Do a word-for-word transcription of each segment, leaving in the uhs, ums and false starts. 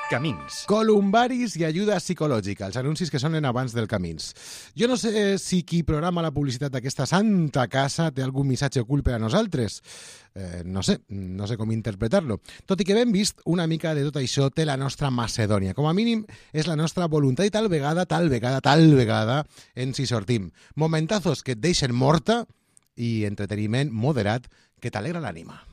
Camins. Columbaris i ajuda psicològica, els anuncis que sonen abans del Camins. Jo no sé si qui programa la publicitat d'aquesta santa casa té algun missatge ocult per a nosaltres. Eh, no sé, no sé com interpretar-lo. Tot i que ben vist, una mica de tot això té la nostra Macedònia. Com a mínim, és la nostra voluntat i tal vegada, tal vegada, tal vegada ens hi sortim. Momentazos que et deixen morta i entreteniment moderat que t'alegra l'ànima.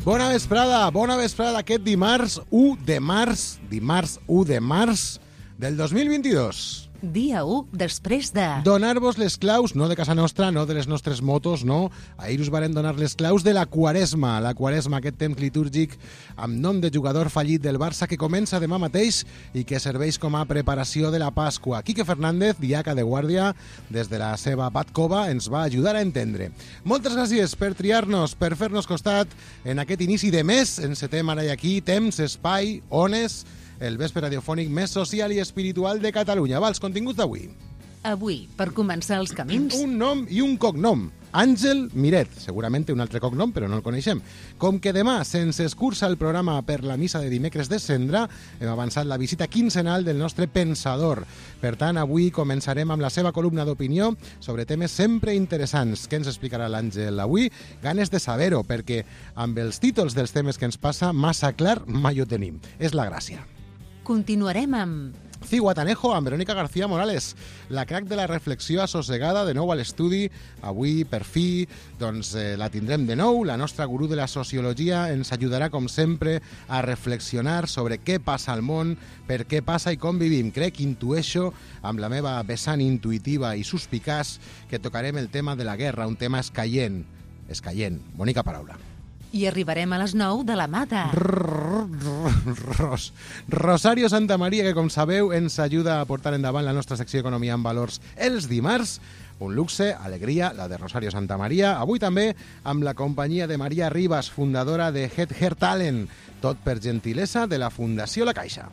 Bona vesprada, bona vesprada aquest dimarts u de març, dimarts u de març del dos mil vint-i-dos. Dia u després de... Donar-vos les claus, no de casa nostra, no de les nostres motos, no. Ahir us varen donar les claus de la Quaresma. La Quaresma, aquest temps litúrgic amb nom de jugador fallit del Barça que comença demà mateix i que serveix com a preparació de la Pasqua. Quique Fernández, diaca de guàrdia, des de la seva Batcova, ens va ajudar a entendre. Moltes gràcies per triar-nos, per fer-nos costat en aquest inici de mes. Encetem ara i aquí temps, espai, ones, el vespre radiofònic més social i espiritual de Catalunya. Va, els continguts d'avui. Avui, per començar els camins... Un nom i un cognom. Àngel Miret. Segurament té un altre cognom, però no el coneixem. Com que demà se'ns escurça el programa per la missa de dimecres de Cendra, hem avançat la visita quinzenal del nostre pensador. Per tant, avui començarem amb la seva columna d'opinió sobre temes sempre interessants. Què ens explicarà l'Àngel avui? Ganes de saber-ho, perquè amb els títols dels temes que ens passa, massa clar mai ho tenim. És la gràcia. Continuarem amb... Cihuatanejo amb Verónica García Morales, la crac de la reflexió assossegada de nou a l'estudi. Avui, per fi, doncs, eh, la tindrem de nou. La nostra gurú de la sociologia ens ajudarà, com sempre, a reflexionar sobre què passa al món, per què passa i com vivim. Crec, intueixo, amb la meva vessant intuïtiva i suspicaç, que tocarem el tema de la guerra, un tema escaient. Escaient, bonica paraula. I arribarem a les nou de la mà de... Ros. Rosario Santamaría, que com sabeu ens ajuda a portar endavant la nostra secció Economia en Valors els dimarts. Un luxe, alegria, la de Rosario Santamaría. Avui també amb la companyia de Maria Ribas, fundadora de Head Hair Talent. Tot per gentilesa de la Fundació La Caixa.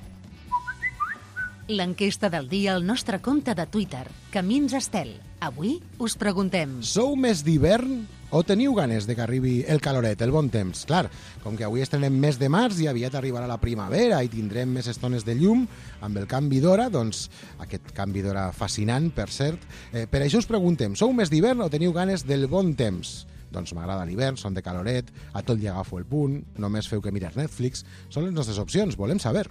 L'enquesta del dia al nostre compte de Twitter, Camins Estel. Avui us preguntem... Sou més d'hivern o teniu ganes de que arribi el caloret, el bon temps? Clar, com que avui estrenem mes de març i aviat arribarà la primavera i tindrem més estones de llum amb el canvi d'hora, doncs aquest canvi d'hora fascinant, per cert. Eh, per això us preguntem, sou més d'hivern o teniu ganes del bon temps? Doncs m'agrada l'hivern, són de caloret, a tot li agafo el punt, només feu que mirar Netflix. Són les nostres opcions, volem saber.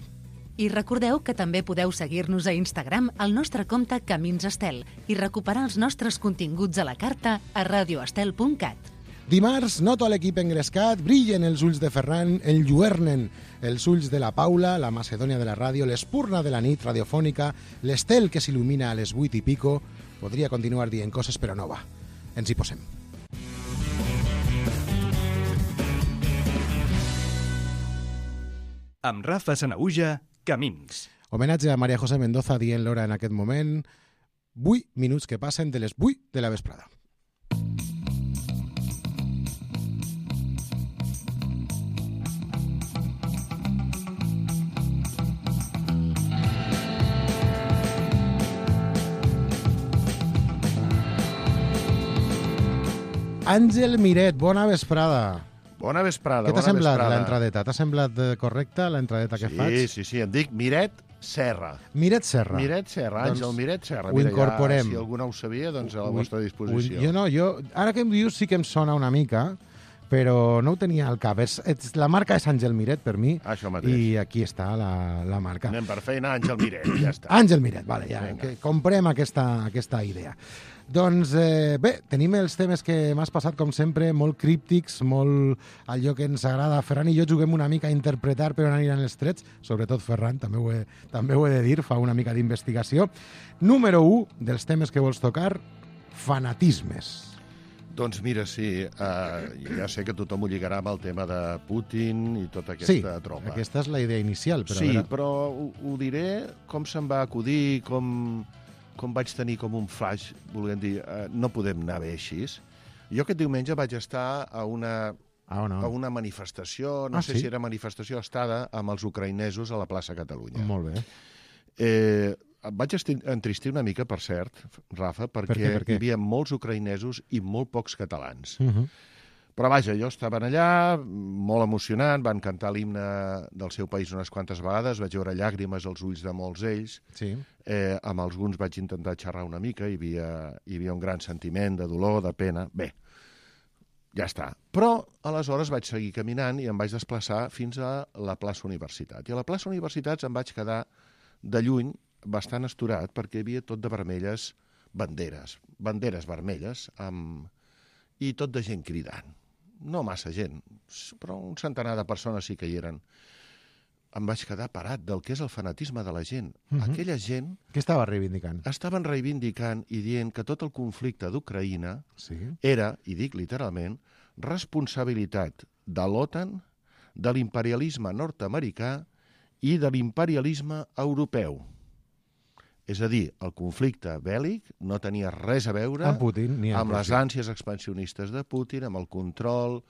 I recordeu que també podeu seguir-nos a Instagram al nostre compte Camins Estel i recuperar els nostres continguts a la carta a radioestel punt cat. Dimarts, noto a l'equip engrescat, brillen els ulls de Ferran, enlluernen els ulls de la Paula, la Macedònia de la ràdio, l'espurna de la nit radiofònica, l'estel que s'il·lumina a les vuit i pico. Podria continuar dient coses, però no va. Ens hi posem. Amb Rafa Sanaüja, Camins. Homenatge a María José Mendoza dient l'hora en aquest moment. vuit minuts que passen de les vuit de la vesprada. Àngel Miret, bona vesprada. Bona vesprada. Què t'ha bona semblat vesprada. l'entradeta? T'ha semblat correcta l'entradeta que sí, faig? Sí, sí, sí. Em dic Miret Serra. Miret Serra. Miret Serra, Doncs Àngel Miret Serra. ho Mira, incorporem. Ja, si algú no ho sabia, doncs a la Ui, vostra disposició. ui, jo no, jo... Ara que em dius sí que em sona una mica, però no ho tenia al cap. És, és, la marca és Àngel Miret per mi. Això mateix. I aquí està la, la marca. Anem per feina, Àngel Miret, ja està. Àngel Miret, vale, ja, Vinga. que comprem aquesta, aquesta idea. Doncs eh, bé, tenim els temes que m'has passat, com sempre, molt críptics, molt allò que ens agrada. Ferran i jo juguem una mica a interpretar per on aniran els trets, sobretot Ferran, també ho he, també ho he de dir, fa una mica d'investigació. Número u dels temes que vols tocar, fanatismes. Doncs mira, sí, uh, ja sé que tothom ho lligarà amb el tema de Putin i tota aquesta sí, tropa. aquesta és la idea inicial. Però sí, a veure... però ho, ho diré com se'm va acudir, com... com vaig tenir com un flash, volent dir, eh, no podem anar bé així. Jo aquest diumenge vaig estar a una, ah, no. a una manifestació, no ah, sé sí? si era manifestació estada, amb els ucraïnesos a la plaça Catalunya. Molt bé. Eh, em vaig entristir una mica, per cert, Rafa, perquè per què, per què? hi havia molts ucraïnesos i molt pocs catalans. Uh -huh. Però vaja, jo estava allà, molt emocionant, van cantar l'himne del seu país unes quantes vegades, vaig veure llàgrimes als ulls de molts d'ells, Sí. eh, amb alguns vaig intentar xerrar una mica, hi havia, hi havia un gran sentiment de dolor, de pena, bé, ja està. Però aleshores vaig seguir caminant i em vaig desplaçar fins a la plaça Universitat. I a la plaça Universitats em vaig quedar de lluny bastant asturat perquè hi havia tot de vermelles banderes, banderes vermelles, amb... i tot de gent cridant. No massa gent, però un centenar de persones sí que hi eren. Em vaig quedar parat del que és el fanatisme de la gent. Mhm. Aquella gent Què estava reivindicant? estaven reivindicant i dient que tot el conflicte d'Ucraïna Sí. era, i dic literalment, responsabilitat de l'OTAN, de l'imperialisme nord-americà i de l'imperialisme europeu. És a dir, el conflicte bèl·lic no tenia res a veure Amb Putin, ni amb amb les Rússia. ànsies expansionistes de Putin, amb el control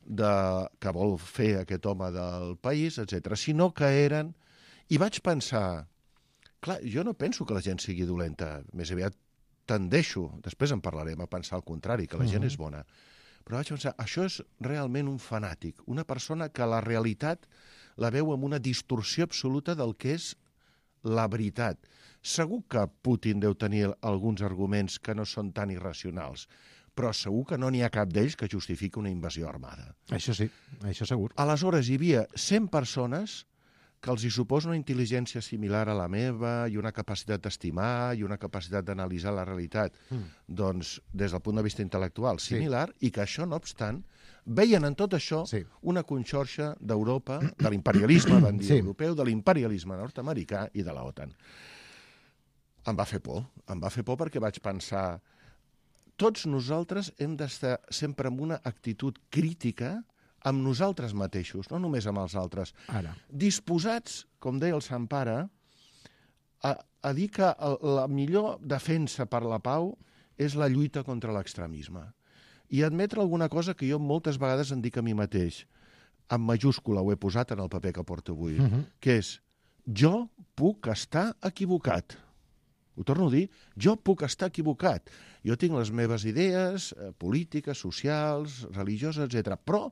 de... que vol fer aquest home del país, etcètera, sinó que eren... I vaig pensar... Clar, jo no penso que la gent sigui dolenta, més aviat tendeixo, després en parlarem, a pensar el contrari, que la gent Mhm. és bona. Però vaig pensar, això és realment un fanàtic, una persona que la realitat la veu amb una distorsió absoluta del que és la veritat. Segur que Putin deu tenir alguns arguments que no són tan irracionals, però segur que no n'hi ha cap d'ells que justifiqui una invasió armada. Això sí, això segur. Aleshores, hi havia cent persones que els hi suposa una intel·ligència similar a la meva i una capacitat d'estimar i una capacitat d'analitzar la realitat, Mm. doncs, des del punt de vista intel·lectual Sí. similar, i que això, no obstant, veien en tot això Sí. una conxorxa d'Europa, de l'imperialisme, van dir, Sí. europeu, de l'imperialisme nord-americà i de la OTAN. Em va fer por, em va fer por perquè vaig pensar tots nosaltres hem d'estar sempre amb una actitud crítica amb nosaltres mateixos, no només amb els altres. Ara. Disposats, com deia el Sant Pare, a, a dir que el, la millor defensa per la pau és la lluita contra l'extremisme. I admetre alguna cosa que jo moltes vegades em dic a mi mateix, en majúscula ho he posat en el paper que porto avui, Uh -huh. que és jo puc estar equivocat. Ho torno a dir, jo puc estar equivocat. Jo tinc les meves idees eh, polítiques, socials, religioses, etcètera. Però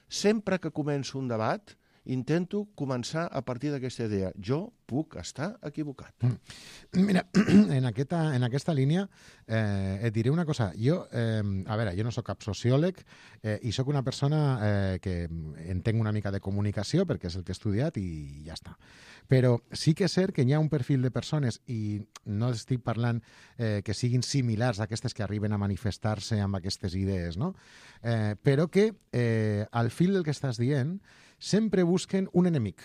sempre que començo un debat intento començar a partir d'aquesta idea. Jo puc estar equivocat. Mira, en aquesta, en aquesta línia eh, et diré una cosa. Jo, eh, a veure, jo no sóc cap sociòleg eh, i sóc una persona eh, que entenc una mica de comunicació perquè és el que he estudiat i ja està. Però sí que és cert que hi ha un perfil de persones i no estic parlant eh, que siguin similars a aquestes que arriben a manifestar-se amb aquestes idees, no? Eh, però que eh, al fil del que estàs dient sempre busquen un enemic.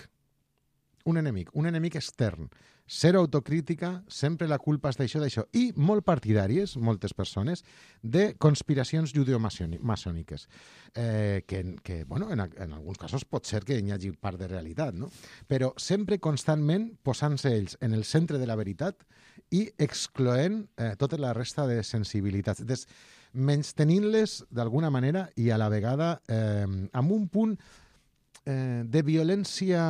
Un enemic, un enemic extern. Zero autocrítica, sempre la culpa és d'això, d'això. I molt partidàries, moltes persones, de conspiracions judeomaçòniques. Eh, que, que bueno, en, en alguns casos pot ser que hi hagi part de realitat, no? Però sempre constantment posant-se ells en el centre de la veritat i excloent eh, tota la resta de sensibilitats. Des, menys tenint-les d'alguna manera i a la vegada eh, amb un punt eh, de violència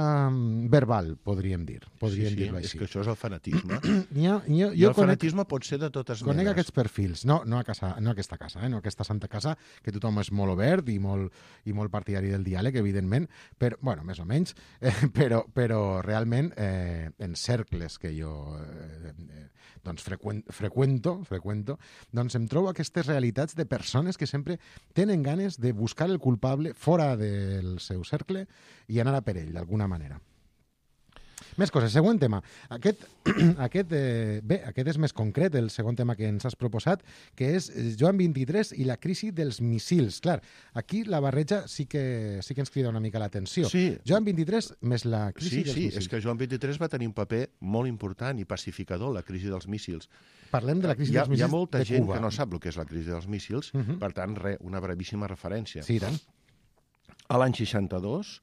verbal, podríem dir. Podríem sí, sí, dir-ho és així. que això és el fanatisme. Hi ha, hi ha, I jo el conec, fanatisme pot ser de totes conec menes. aquests perfils, no, no, a casa, no a aquesta casa, eh, no a aquesta santa casa, que tothom és molt obert i molt, i molt partidari del diàleg, evidentment, però, bueno, més o menys, eh, però, però realment eh, en cercles que jo eh, eh, doncs freqüent, freqüento, freqüento, doncs em trobo aquestes realitats de persones que sempre tenen ganes de buscar el culpable fora del seu cercle i anar a per ell, d'alguna manera. Més coses, següent tema. Aquest, aquest, eh, bé, aquest és més concret, el segon tema que ens has proposat, que és Joan vint-i-tres i la crisi dels missils. Clar, aquí la barreja sí que, sí que ens crida una mica l'atenció. Sí. Joan vint-i-tres més la crisi Sí, dels sí, missils. és que Joan vint-i-tres va tenir un paper molt important i pacificador, la crisi dels míssils. Parlem de la crisi Hi ha, dels hi ha missils molta de gent Cuba. que no sap el que és la crisi dels míssils, Mhm. per tant, re, una brevíssima referència. Sí, i tant. A l'any seixanta-dos,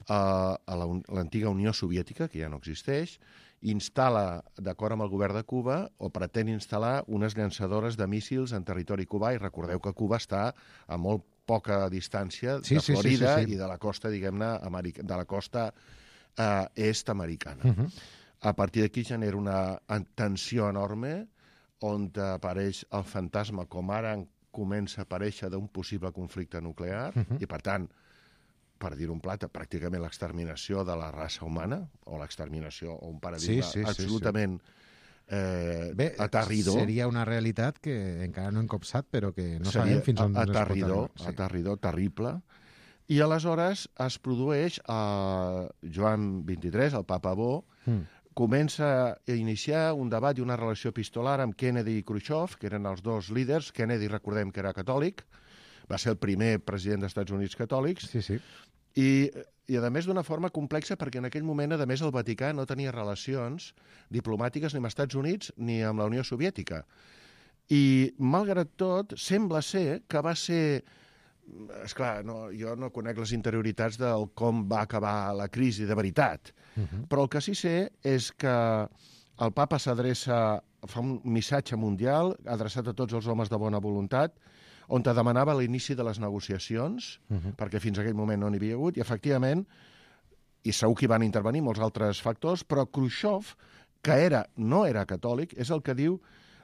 eh, a la un- l'antiga Unió Soviètica, que ja no existeix, instal·la, d'acord amb el govern de Cuba, o pretén instal·lar unes llançadores de míssils en territori cubà, i recordeu que Cuba està a molt poca distància Sí, de sí, sí, Florida sí, sí. i de la costa, diguem-ne, america- de la costa eh, est-americana. Uh -huh. A partir d'aquí genera una tensió enorme on apareix el fantasma, com ara comença a aparèixer d'un possible conflicte nuclear uh-huh. i, per tant, per dir un plat, pràcticament l'exterminació de la raça humana, o l'exterminació, o un paradigma sí, sí, absolutament sí, sí. Eh, Bé, aterridor. Seria una realitat que encara no hem copsat, però que no Seria sabem fins on es pot aterridor, arribar. Sí. aterridor, terrible. I aleshores es produeix a Joan vint-i-tres, el Papa Bo, mm. comença a iniciar un debat i una relació epistolar amb Kennedy i Khrushchev, que eren els dos líders. Kennedy, recordem que era catòlic, va ser el primer president dels Estats Units catòlics, sí, sí. I, i a més d'una forma complexa, perquè en aquell moment, a més, el Vaticà no tenia relacions diplomàtiques ni amb els Estats Units ni amb la Unió Soviètica. I, malgrat tot, sembla ser que va ser... Esclar, no, jo no conec les interioritats del com va acabar la crisi de veritat, uh-huh. però el que sí sé és que el papa s'adreça, fa un missatge mundial adreçat a tots els homes de bona voluntat, on te demanava l'inici de les negociacions, uh-huh. perquè fins a aquell moment no n'hi havia hagut, i efectivament, i segur que hi van intervenir molts altres factors, però Khrushchev, que era, no era catòlic, és el que diu: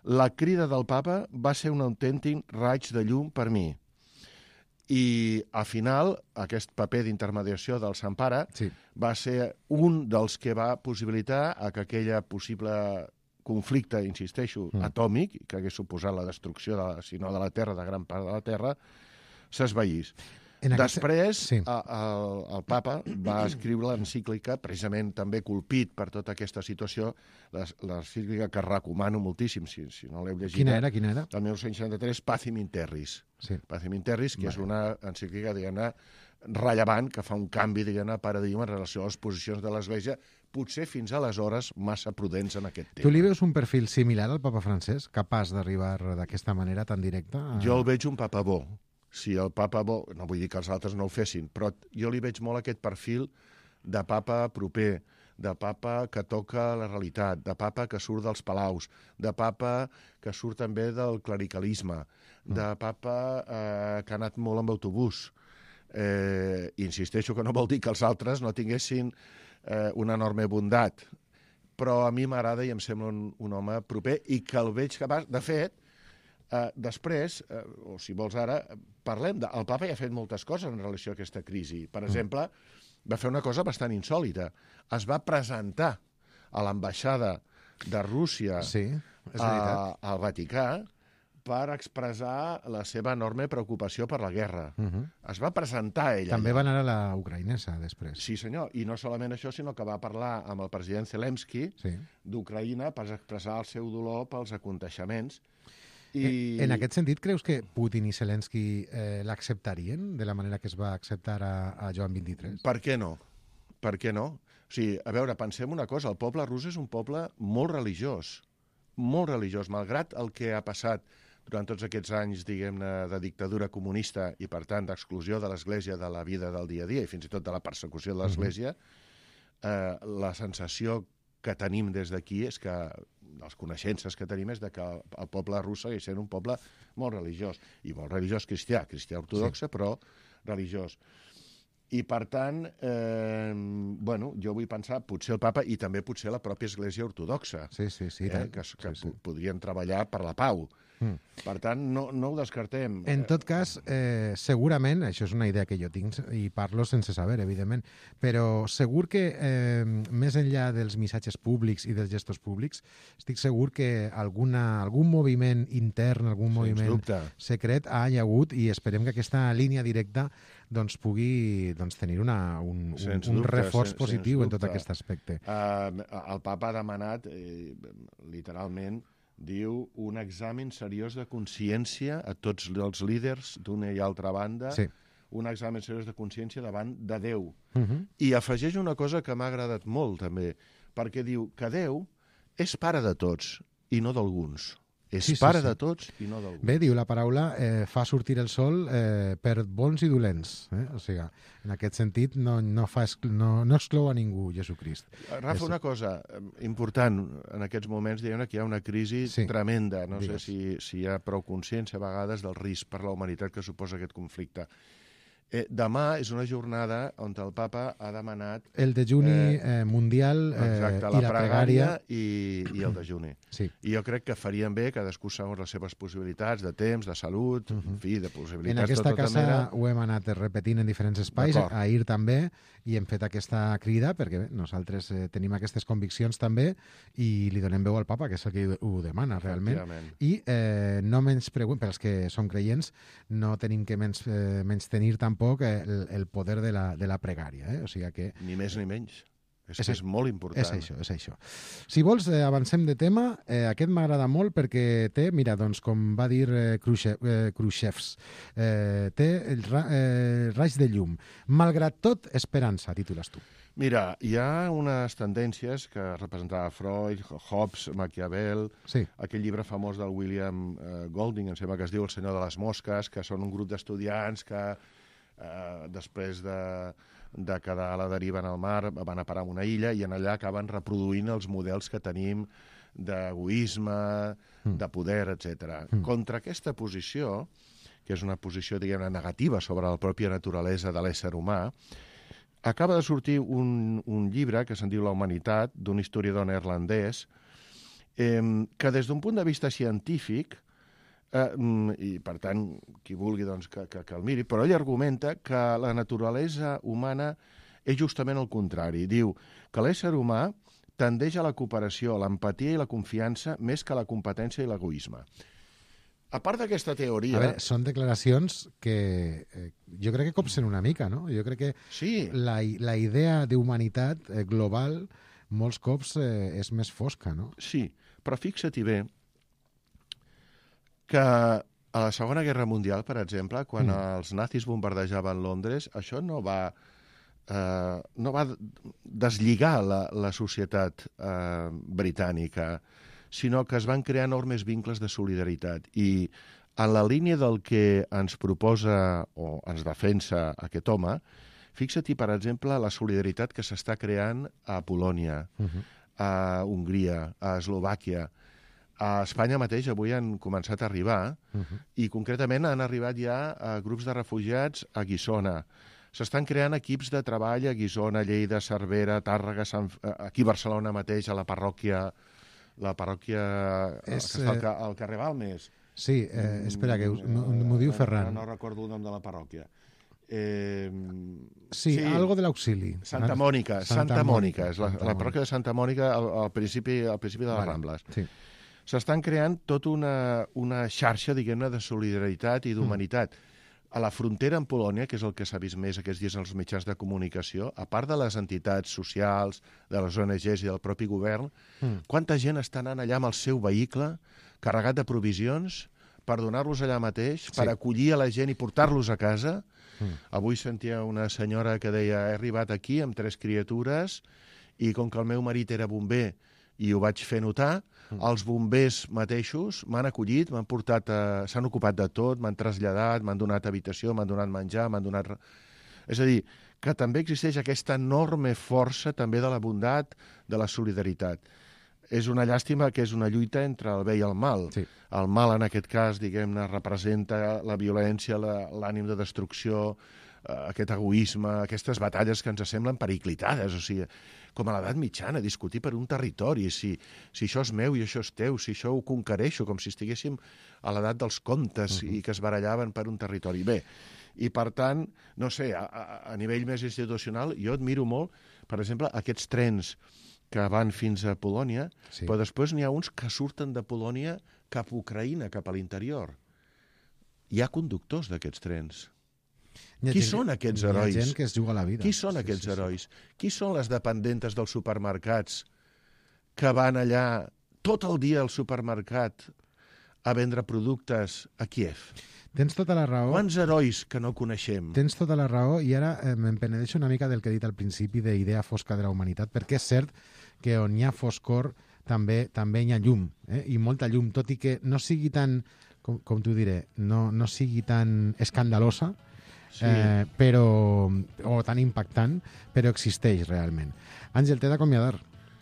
la crida del papa va ser un autèntic raig de llum per mi. I, al final, aquest paper d'intermediació del Sant Pare sí. va ser un dels que va possibilitar a que aquella possible conflicte, insisteixo, mm. atòmic, que hagués suposat la destrucció, de, si no de la Terra, de gran part de la Terra, s'esvaís. Aquest... Després, sí. a, a, el papa va escriure l'encíclica, precisament també colpit per tota aquesta situació, l'encíclica que recomano moltíssim, si, si no l'heu llegit. Quina era? Quina era? El mil nou-cents seixanta-tres, Pacem in Terris. Sí. Pacem in Terris, que vale. És una encíclica, diguem-ne, rellevant, que fa un canvi, diguem-ne, paradigma en relació a les posicions de l'Església, potser fins aleshores massa prudents en aquest tema. Tu li veus un perfil similar al papa francès, capaç d'arribar d'aquesta manera tan directa? A... Jo el veig un papa bo. Si el papa bo, no vull dir que els altres no ho fessin, però jo li veig molt aquest perfil de papa proper, de papa que toca la realitat, de papa que surt dels palaus, de papa que surt també del clericalisme, de papa eh, que ha anat molt amb autobús. Eh, insisteixo que no vol dir que els altres no tinguessin eh, una enorme bondat, però a mi m'agrada i em sembla un, un home proper i que el veig capaç. De fet, Uh, després, uh, o si vols ara, parlem de... El papa ja ha fet moltes coses en relació a aquesta crisi. Per exemple, va fer una cosa bastant insòlita. Es va presentar a l'ambaixada de Rússia sí, és a, al Vaticà per expressar la seva enorme preocupació per la guerra. Uh-huh. Es va presentar ella. També allà. Va anar a la ucraïnesa, després. Sí, senyor. I no solament això, sinó que va parlar amb el president Zelensky sí. d'Ucraïna per expressar el seu dolor pels aconteixements. I... En aquest sentit, creus que Putin i Zelensky eh, l'acceptarien de la manera que es va acceptar a, a Joan vint-i-tres? Per què no? Per què no? O sigui, a veure, pensem una cosa, el poble rus és un poble molt religiós, molt religiós, malgrat el que ha passat durant tots aquests anys, diguem-ne, de dictadura comunista i, per tant, d'exclusió de l'Església de la vida del dia a dia i fins i tot de la persecució de l'Església, uh-huh. eh, la sensació que tenim des d'aquí és que les coneixences que tenim és de que el poble rus segueix sent un poble molt religiós, i molt religiós cristià, cristià ortodoxe, sí. però religiós. I, per tant, eh, bueno, jo vull pensar, potser el papa i també potser la pròpia Església ortodoxa, sí, sí, sí, eh, que, que sí, sí. podrien treballar per la pau. Mm. Per tant, no, no ho descartem. En tot cas, eh, segurament, això és una idea que jo tinc i parlo sense saber, evidentment, però segur que eh, més enllà dels missatges públics i dels gestos públics, estic segur que alguna, algun moviment intern, algun Sens moviment dubte. secret ha hi hagut i esperem que aquesta línia directa doncs, pugui doncs, tenir una, un, un, un reforç sen, positiu en tot aquest aspecte. Uh, el papa ha demanat, eh, literalment, diu, un examen seriós de consciència a tots els líders d'una i altra banda, sí. un examen seriós de consciència davant de Déu. Uh-huh. I afegeix una cosa que m'ha agradat molt, també, perquè diu que Déu és pare de tots i no d'alguns. És sí, pare sí, sí. de tots i no d'alguns. Bé, diu la paraula, eh, fa sortir el sol eh, per bons i dolents. Eh? O sigui, en aquest sentit, no, no, fa exclu no, no exclou a ningú, Jesucrist. Rafa, és... una cosa important en aquests moments, diguem que hi ha una crisi sí. tremenda. No Digues. sé si, si hi ha prou consciència a vegades del risc per la humanitat que suposa aquest conflicte. Eh, demà és una jornada on el papa ha demanat... El dejuni Eh, eh, mundial eh, exacte, i la la pregària pregària. i, i el dejuni. Sí. I jo crec que farien bé, cadascú segons les seves possibilitats de temps, de salut, uh -huh. en fi, de possibilitats En aquesta de tota casa mena. ho hem anat repetint en diferents espais, D'acord. ahir també, i hem fet aquesta crida, perquè bé, nosaltres eh, tenim aquestes conviccions també, i li donem veu al papa, que és el que ho demana realment. Efectivament. I eh, no menys pregun- per als que som creients, no tenim que menys, eh, menys tenir tampoc el, el poder de la, de la pregària. Eh? O sigui que Ni més ni menys. És, És que és molt important. és això, és això. Si vols, eh, avancem de tema. Eh, aquest m'agrada molt perquè té, mira, doncs, com va dir eh, Khrushchev, eh, Khrushchevs, eh, té el ra, eh, raig de llum. Malgrat tot, esperança, titules tu. Mira, hi ha unes tendències que representava Freud, Hobbes, Maquiavel, Sí. aquell llibre famós del William eh, Golding, em sembla que es diu El senyor de les mosques, que són un grup d'estudiants que eh, després de, de quedar a la deriva en el mar van a parar a una illa i en allà acaben reproduint els models que tenim d'egoisme, mm. de poder, etcètera. Mm. Contra aquesta posició, que és una posició, diguem-ne, negativa sobre la pròpia naturalesa de l'ésser humà, acaba de sortir un, un llibre que se'n diu La humanitat, d'un historiador neerlandès, eh, que des d'un punt de vista científic, eh, i per tant, qui vulgui doncs, que, que, que el miri, però ell argumenta que la naturalesa humana és justament el contrari. Diu que l'ésser humà tendeix a la cooperació, a l'empatia i la confiança més que a la competència i l'egoisme. A part d'aquesta teoria... A veure, són declaracions que eh, jo crec que copsen una mica, no? Jo crec que Sí. la, la idea d'humanitat eh, global molts cops eh, és més fosca, no? Sí, però fixa-t'hi bé que a la Segona Guerra Mundial, per exemple, quan Mm. mm. els nazis bombardejaven Londres, això no va, eh, no va deslligar la, la societat eh, britànica, sinó que es van crear enormes vincles de solidaritat. I en la línia del que ens proposa o ens defensa aquest home, fixa-t'hi, per exemple, la solidaritat que s'està creant a Polònia, Uh -huh. a Hongria, a Eslovàquia. A Espanya mateix avui han començat a arribar Uh -huh. i concretament han arribat ja a grups de refugiats a Guissona. S'estan creant equips de treball a Guissona, Lleida, Cervera, Tàrrega, Sant... aquí a Barcelona mateix, a la parròquia, la parròquia És, que està al, eh, ca... al carrer Balmes. Sí, eh, espera, que us- m'ho m'ho diu Ara Ferran. No recordo el nom de la parròquia. Eh... Sí, sí, algo de l'auxili. Santa Mònica, Santa, Santa Mònica, Mònica, és la, Santa la Mònica. parròquia de Santa Mònica al, al, principi, al principi de les Vale, Rambles. Sí. S'estan creant tota una, una xarxa, diguem-ne, de solidaritat i d'humanitat. Mm. A la frontera amb Polònia, que és el que s'ha vist més aquests dies en els mitjans de comunicació, a part de les entitats socials, de les O N Ges i del propi govern, Mm. quanta gent està anant allà amb el seu vehicle carregat de provisions per donar-los allà mateix, Sí. per acollir a la gent i portar-los a casa. Mm. Avui sentia una senyora que deia he arribat aquí amb tres criatures i com que el meu marit era bomber i ho vaig fer notar, mm. els bombers mateixos m'han acollit, m'han portat, a... s'han ocupat de tot, m'han traslladat, m'han donat habitació, m'han donat menjar, m'han donat... És a dir, que també existeix aquesta enorme força també de la bondat, de la solidaritat. És una llàstima que és una lluita entre el bé i el mal. Sí. El mal, en aquest cas, diguem-ne, representa la violència, la- l'ànim de destrucció, eh, aquest egoisme, aquestes batalles que ens semblen periclitades, o sigui, com a l'edat mitjana, discutir per un territori, si, si això és meu i això és teu, si això ho conquereixo, com si estiguéssim a l'edat dels contes uh-huh. i que es barallaven per un territori. Bé, i per tant, no sé, a, a, a nivell més institucional, jo admiro molt, per exemple, aquests trens que van fins a Polònia, Sí. però després n'hi ha uns que surten de Polònia cap a Ucraïna, cap a l'interior. Hi ha conductors d'aquests trens. Hi ha Qui gent són que- aquests Hi herois? ha gent que es juga la vida. Qui són Sí, aquests sí, sí. herois? Qui són les dependentes dels supermercats que van allà tot el dia al supermercat a vendre productes a Kiev? Tens tota la raó. Quants herois que no coneixem? Tens tota la raó i ara eh, me'n penedeixo una mica del que he dit al principi d'idea fosca de la humanitat, perquè és cert que on hi ha foscor també també hi ha llum, eh? I molta llum, tot i que no sigui tan, com, com t'ho diré, no, no sigui tan escandalosa, Sí. eh, però, o tan impactant, però existeix realment. Àngel, t'he d'acomiadar.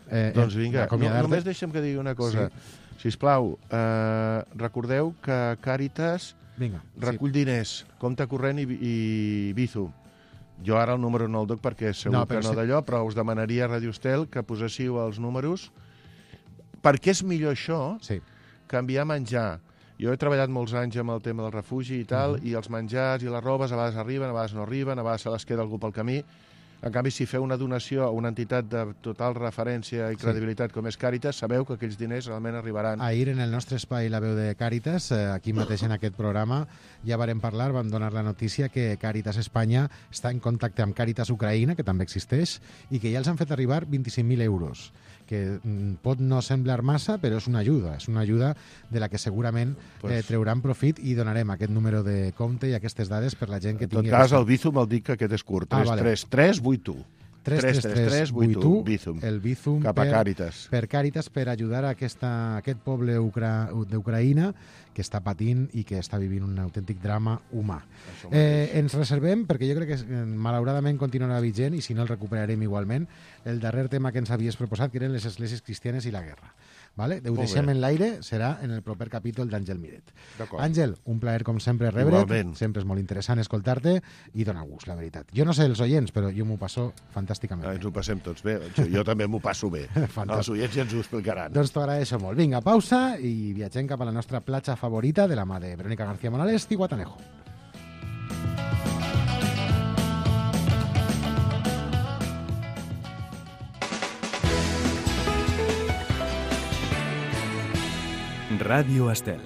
Eh, Doncs eh, vinga, no, d'acomiadar-te. només deixa'm que digui una cosa. Sí. Sisplau, eh, recordeu que Càritas Vinga. Recull sí. diners, compte corrent i, i Bizum. Jo ara el número no el doc perquè segur no, que no si... d'allò, però us demanaria a Radio Estel que poséssiu els números. Perquè és millor això sí. que enviar menjar. Jo he treballat molts anys amb el tema del refugi i tal, uh -huh. i els menjars i les robes a vegades arriben, a vegades no arriben, a vegades se les queda algú pel camí. En canvi, si feu una donació a una entitat de total referència i credibilitat sí. com és Càritas, sabeu que aquells diners realment arribaran. Ahir, en el nostre espai La Veu de Càritas, aquí mateix en aquest programa, ja varem parlar, vam donar la notícia que Càritas Espanya està en contacte amb Càritas Ucraïna, que també existeix, i que ja els han fet arribar vint-i-cinc mil euros, que pot no semblar massa, però és una ajuda, és una ajuda de la que segurament pues... eh, trauran profit, i donarem aquest número de compte i aquestes dades per la gent que tingui... En tot cas, el Bizum el dic que aquest és curt, tres tres tres vuit u. tres tres tres vuit u, Bizum. El Bizum cap a per, Càritas. Per Càritas, per ajudar a aquesta, aquest poble ucra, d'Ucraïna que està patint i que està vivint un autèntic drama humà. Eh, ens reservem, perquè jo crec que malauradament continuarà vigent, i si no el recuperarem igualment, el darrer tema que ens havies proposat, que eren les esglésies cristianes i la guerra. Vale? Ho deixem en l'aire, serà en el proper capítol d'Àngel Miret. Àngel, un plaer com sempre rebre't, igualment. Sempre és molt interessant escoltar-te i dona gust, la veritat. Jo no sé els oients, però jo m'ho passo fantàsticament. Ah, ens ho passem tots bé, jo, jo també m'ho passo bé. Els oients ja ens ho explicaran. Doncs t'ho agraeixo molt. Vinga, pausa i viatgem cap a la nostra platja favorita de la mà de Verónica García Morales i Guatanejo. Ràdio Estel.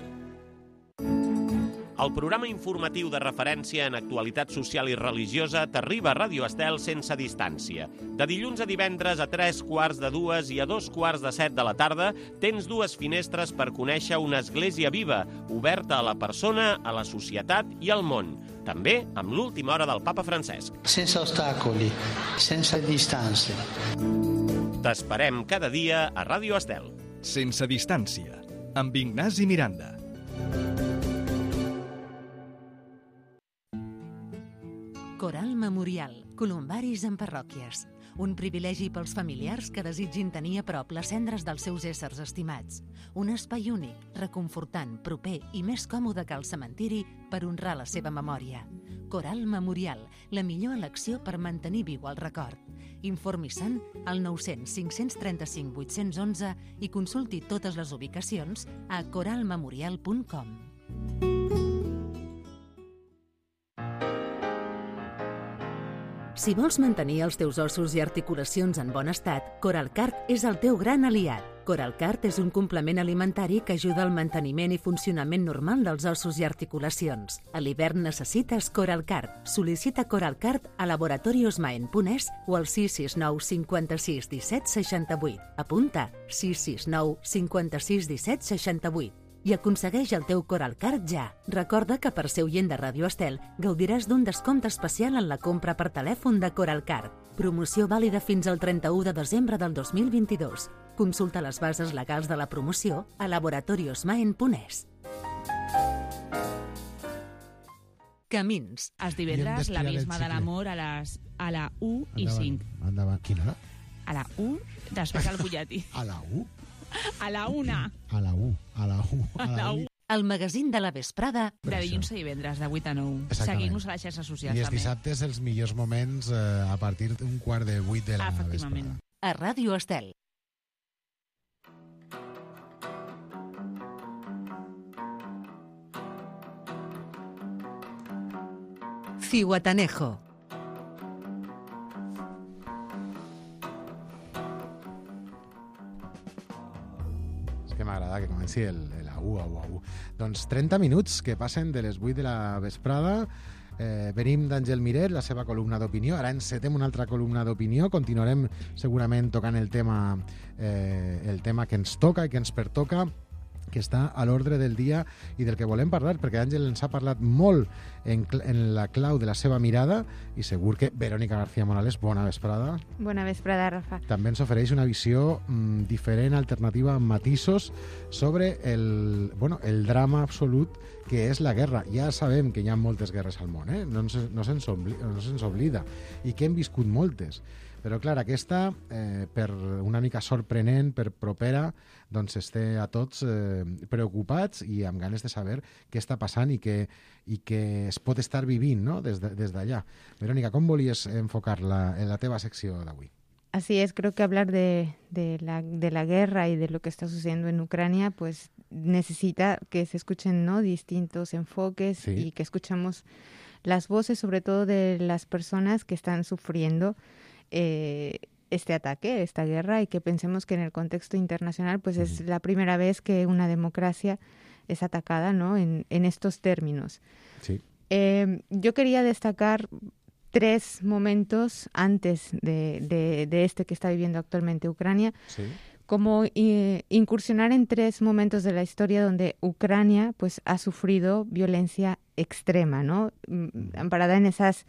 El programa informatiu de referència en actualitat social i religiosa t'arriba a Ràdio Estel sense distància. De dilluns a divendres a tres quarts de dues i a dos quarts de set de la tarda tens dues finestres per conèixer una església viva, oberta a la persona, a la societat i al món. També amb l'última hora del Papa Francesc. Sense ostacoli, sense distància. T'esperem cada dia a Ràdio Estel. Sense distància, amb Ignasi Miranda. Coral Memorial, columbaris en parròquies. Un privilegi pels familiars que desitgin tenir a prop les cendres dels seus éssers estimats. Un espai únic, reconfortant, proper i més còmode que el cementiri per honrar la seva memòria. Coral Memorial, la millor elecció per mantenir viu el record. Informi-se'n al nou cents cinc cents trenta-cinc vuit-cents onze i consulti totes les ubicacions a coral memorial punt com. Si vols mantenir els teus ossos i articulacions en bon estat, Coralcart és el teu gran aliat. Coralcart és un complement alimentari que ajuda al manteniment i funcionament normal dels ossos i articulacions. A l'hivern necessites Coralcart. Sol·licita Coralcart a laboratoriosmaen punt es o al sis sis nou cinquanta-sis disset seixanta-vuit. Apunta sis sis nou cinquanta-sis disset seixanta-vuit. I aconsegueix el teu Coralcart ja. Recorda que per ser oient de Ràdio Estel gaudiràs d'un descompte especial en la compra per telèfon de Coralcart. Promoció vàlida fins al trenta-u de desembre del dos mil vint-i-dos. Consulta les bases legals de la promoció a laboratoriosmaen punt es. Camins. Els divendres l'abisme de l'amor a les a la u i cinc. Endavant. Quina hora? A la u, després al butlletí. A la u? A la una. A la u, a la u, a la u. El magazín de la vesprada. De dilluns a divendres, de vuit a nou. Seguim-nos a les xarxes socials, també. I els també. dissabtes els millors moments eh, a partir d'un quart de vuit de la Efectivament. vesprada. A Ràdio Estel. Zihuatanejo. Que m'agrada que comenci el, el a u, a u, a u. Doncs trenta minuts que passen de les vuit de la vesprada. Eh, venim d'Àngel Miret, la seva columna d'opinió. Ara encetem una altra columna d'opinió. Continuarem segurament tocant el tema, eh, el tema que ens toca i que ens pertoca, que està a l'ordre del dia i del que volem parlar, perquè Àngel ens ha parlat molt en, en la clau de la seva mirada i segur que Verónica García Morales, bona vesprada. Bona vesprada, Rafa. També ens ofereix una visió mm, diferent, alternativa, amb matisos sobre el, bueno, el drama absolut que és la guerra. Ja sabem que hi ha moltes guerres al món, eh? no, ens, no, se'ns obli, no se'ns oblida, i que hem viscut moltes. Però, clar, aquesta, eh, per una mica sorprenent, per propera, doncs esté a tots eh, preocupats i amb ganes de saber què està passant i que, i que es pot estar vivint, no?, des de, des d'allà. Verónica, com volies enfocar la, en la teva secció d'avui? Así es, creo que hablar de, de, la, de la guerra y de lo que está sucediendo en Ucrania, pues necesita que se escuchen, ¿no?, distintos enfoques, sí, y que escuchemos las voces, sobre todo de las personas que están sufriendo eh, este ataque, esta guerra, y que pensemos que en el contexto internacional, pues uh-huh. es la primera vez que una democracia es atacada, ¿no?, en, en estos términos. Sí. Eh, yo quería destacar tres momentos antes de, de, de este que está viviendo actualmente Ucrania, sí, como eh, incursionar en tres momentos de la historia donde Ucrania pues ha sufrido violencia extrema, ¿no?, amparada en esas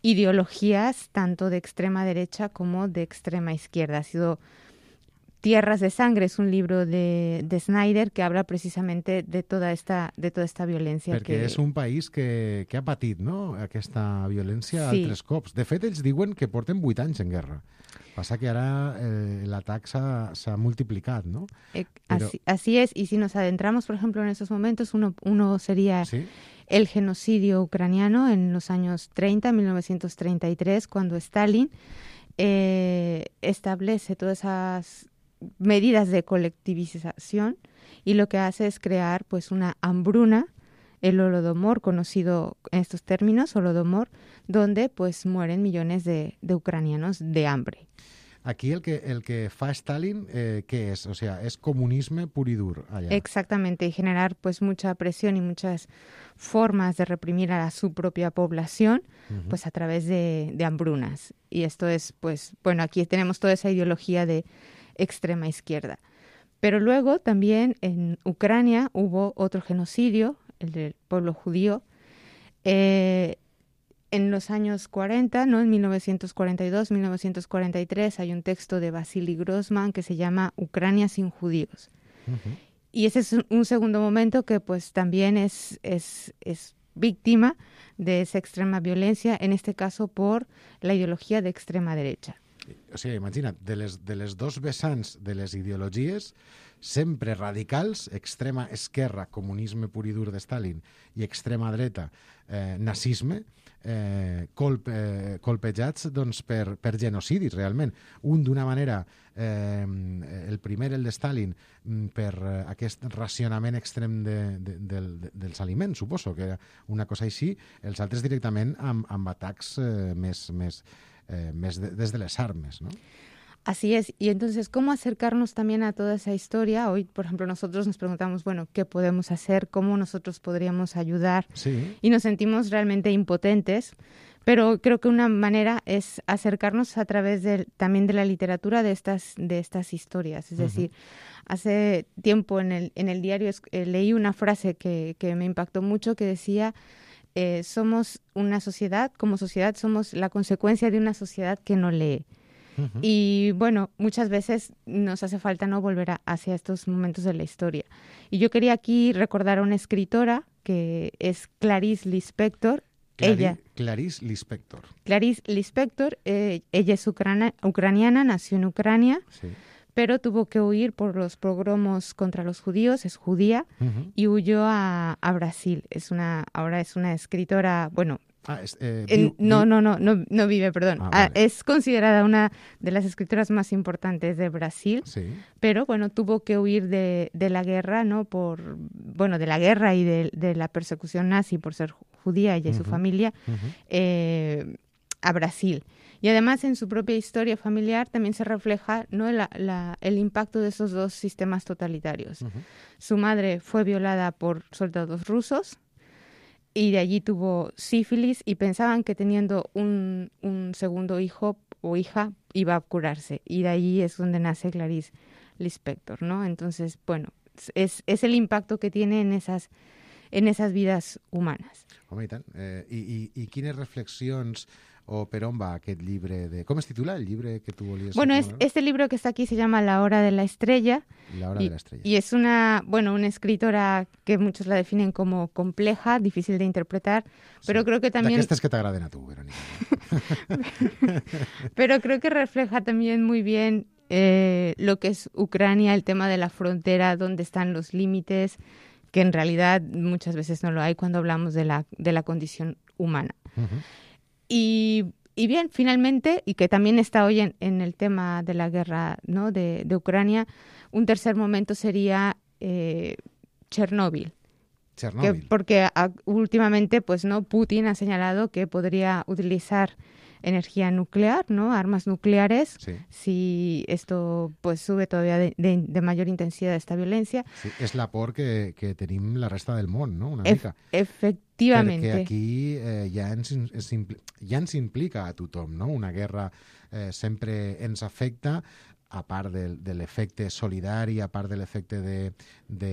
ideologías tanto de extrema derecha como de extrema izquierda. Ha sido Tierras de Sangre, es un libro de, de Snyder que habla precisamente de toda esta, de toda esta violència. Perquè que... és un país que, que ha patit, no?, aquesta violència sí. altres cops. De fet, ells diuen que porten vuit anys en guerra. Passa que ara eh, l'atac s'ha multiplicat, ¿no? Eh, Pero... así, así es, y si nos adentramos, por ejemplo, en esos momentos, uno, uno sería ¿sí? el genocidio ucraniano en los años treinta, mil novecientos treinta y tres, cuando Stalin eh, establece todas esas medidas de colectivización y lo que hace es crear pues una hambruna, el Holodomor, conocido en estos términos, Holodomor, donde pues mueren millones de, de ucranianos de hambre. Aquí el que, el que fa Stalin, eh, ¿qué es? O sea, es comunisme pur y dur allá. Exactamente, y generar pues mucha presión y muchas formas de reprimir a su propia población, uh-huh. pues a través de, de hambrunas. Y esto es pues, bueno, aquí tenemos toda esa ideología de extrema izquierda. Pero luego también en Ucrania hubo otro genocidio, el del pueblo judío, eh, en los años cuarenta, ¿no?, en mil novecientos cuarenta y dos, mil novecientos cuarenta y tres, hay un texto de Vasily Grossman que se llama Ucrania sin judíos. Uh-huh. Y ese es un segundo momento que pues también es, es, es víctima de esa extrema violencia, en este caso por la ideología de extrema derecha. O sigui, imagina't, de les, de les dos vessants de les ideologies, sempre radicals, extrema esquerra, comunisme pur i dur de Stalin, i extrema dreta, eh, nazisme, eh, colp, eh, colpejats doncs, per, per genocidis, realment. Un d'una manera, eh, el primer, el de Stalin, per eh, aquest racionament extrem de, de, de, de, dels aliments, suposo, que era una cosa així, els altres directament amb, amb atacs eh, més... més Eh, de, desde las armas, ¿no? Así es, y entonces, ¿cómo acercarnos también a toda esa historia? Hoy, por ejemplo, nosotros nos preguntamos, bueno, ¿qué podemos hacer? ¿Cómo nosotros podríamos ayudar? Sí. Y nos sentimos realmente impotentes, pero creo que una manera es acercarnos a través de, también de la literatura de estas, de estas historias. Es uh-huh. decir, hace tiempo en el, en el diario eh, leí una frase que, que me impactó mucho que decía... Eh, somos una sociedad, como sociedad somos la consecuencia de una sociedad que no lee. Uh-huh. Y bueno, muchas veces nos hace falta no volver a, hacia estos momentos de la historia. Y yo quería aquí recordar a una escritora que es Clarice Lispector. Clari- ella, Clarice Lispector. Clarice Lispector, eh, ella es ucrana, ucraniana, nació en Ucrania. Sí. Pero tuvo que huir por los pogromos contra los judíos, es judía, uh-huh. y huyó a, a Brasil. Es una, ahora es una escritora, bueno, ah, es, eh, en, viu, no, viu. no, no, no, no vive, perdón. Ah, ah, vale. Es considerada una de las escritoras más importantes de Brasil, sí. pero bueno, tuvo que huir de, de la guerra, ¿no? Por, bueno, de la guerra y de, de la persecución nazi por ser judía, ella y uh-huh. su familia, uh-huh. eh, a Brasil. Y además en su propia historia familiar también se refleja, ¿no?, la, la, el impacto de esos dos sistemas totalitarios. Uh-huh. Su madre fue violada por soldados rusos y de allí tuvo sífilis y pensaban que teniendo un, un segundo hijo o hija iba a curarse. Y de allí es donde nace Clarice Lispector, ¿no? Entonces, bueno, es, es el impacto que tiene en esas, en esas vidas humanas. Home, i tant. Eh, i, i, I quines reflexions o per on va aquest llibre? De... Com es titula el llibre que tu volies? Bueno, es, este libro que está aquí se llama La hora de la estrella. La hora y, de la estrella. Y es una, bueno, una escritora que muchos la definen como compleja, difícil de interpretar, pero sí. creo que también... D'aquestes que t'agraden a tu, Verónica. Pero creo que refleja también muy bien eh, lo que es Ucrania, el tema de la frontera, dónde están los límites, que en realidad muchas veces no lo hay cuando hablamos de la, de la condición humana. Uh-huh. Y, y bien, finalmente, y que también está hoy en, en el tema de la guerra, ¿no? de, de Ucrania, un tercer momento sería eh, Chernóbil. Chernóbil. Que, porque a, últimamente, pues, ¿no? Putin ha señalado que podría utilizar energía nuclear, ¿no? Armas nucleares, sí. si esto pues sube todavía de, de, de mayor intensidad esta violencia. Sí, és la por que, que tenim la resta del món, no? Una Ef- mica. Efectivament. Perquè aquí eh, ja, ens, ens, ja ens implica a tothom, no? Una guerra eh, sempre ens afecta, a part de, de l'efecte solidari, a part de l'efecte de, de,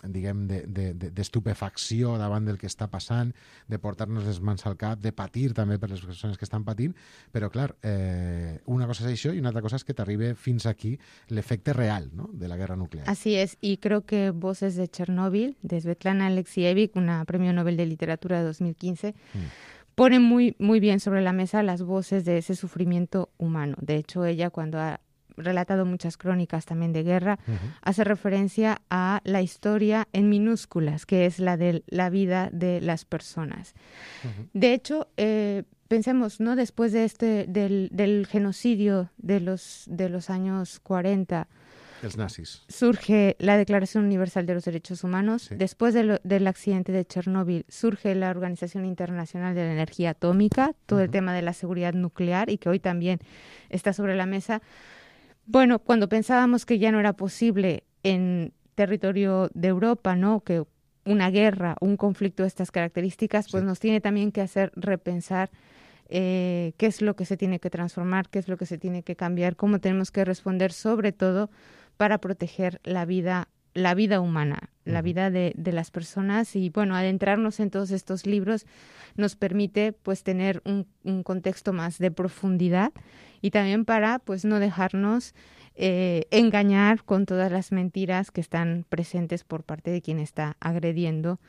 diguem, de, de, de, d'estupefacció davant del que està passant, de portar-nos les mans al cap, de patir també per les persones que estan patint, però clar, eh, una cosa és això i una altra cosa és que t'arribe fins aquí l'efecte real, ¿no? De la guerra nuclear. Así es, y creo que Voces de Chernóbil, de Svetlana Alexievich, una premio Nobel de Literatura de dos mil quince, mm. pone muy, muy bien sobre la mesa las voces de ese sufrimiento humano. De hecho, ella cuando ha relatado muchas crónicas también de guerra, uh-huh. hace referencia a la historia en minúsculas, que es la de la vida de las personas. Uh-huh. De hecho, eh, pensemos, ¿no? Después de este del, del genocidio de los de los años cuarenta, los nazis, surge la Declaración Universal de los Derechos Humanos. Sí. Después de lo, del accidente de Chernóbil, surge la Organización Internacional de la Energía Atómica, todo uh-huh. el tema de la seguridad nuclear, y que hoy también está sobre la mesa. Bueno, cuando pensábamos que ya no era posible en territorio de Europa, ¿no? Que una guerra, un conflicto de estas características, pues sí. nos tiene también que hacer repensar eh, qué es lo que se tiene que transformar, qué es lo que se tiene que cambiar, cómo tenemos que responder, sobre todo para proteger la vida, la vida humana, uh-huh. la vida de, de las personas. Y bueno, adentrarnos en todos estos libros nos permite pues tener un, un contexto más de profundidad y también para pues no dejarnos eh, engañar con todas las mentiras que están presentes por parte de quien está agrediendo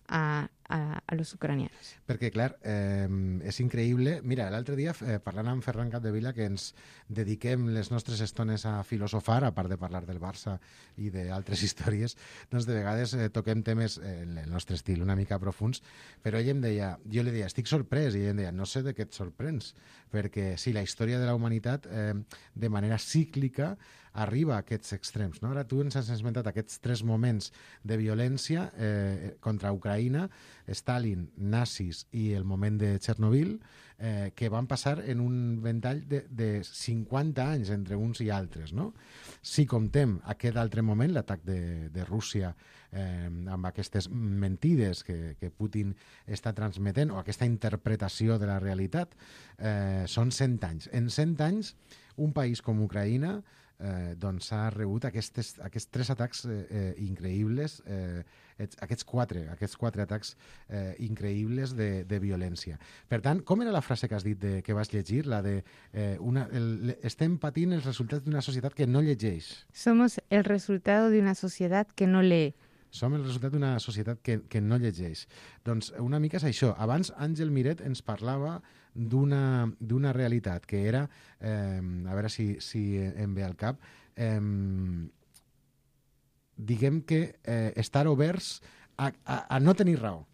a, a, a los ucranianos. Perquè, clar, eh, és increïble. Mira, l'altre dia, eh, parlant amb Ferran Capdevila, que ens dediquem les nostres estones a filosofar, a part de parlar del Barça i d'altres històries, doncs de vegades eh, toquem temes eh, en el nostre estil una mica profuns, però ell em deia, jo li deia, estic sorprès, i ell em deia, no sé de què et sorprens, perquè sí, la història de la humanitat eh, de manera cíclica arriba a aquests extrems, no? Ara tu ens has esmentat aquests tres moments de violència eh, contra Ucraïna, Stalin, nazis i el moment de Chernobyl, eh, que van passar en un ventall de, de cinquanta anys entre uns i altres, no? Si comptem aquest altre moment, l'atac de, de Rússia eh, amb aquestes mentides que, que Putin està transmetent, o aquesta interpretació de la realitat, eh, són cent anys. En cent anys, un país com Ucraïna eh, doncs ha rebut aquestes, aquests tres atacs eh, eh, increïbles, eh, aquests quatre, aquests quatre atacs eh, increïbles de, de violència. Per tant, com era la frase que has dit de, que vas llegir? La de eh, una, el, estem patint els resultats d'una societat que no llegeix. Somos el resultado de una societat que no lee. Som el resultat d'una societat que, que no llegeix. Doncs una mica és això. Abans Àngel Miret ens parlava d'una, d'una realitat que era, eh, a veure si, si em ve al cap, eh, diguem que eh, estar oberts a, a, a no tenir raó.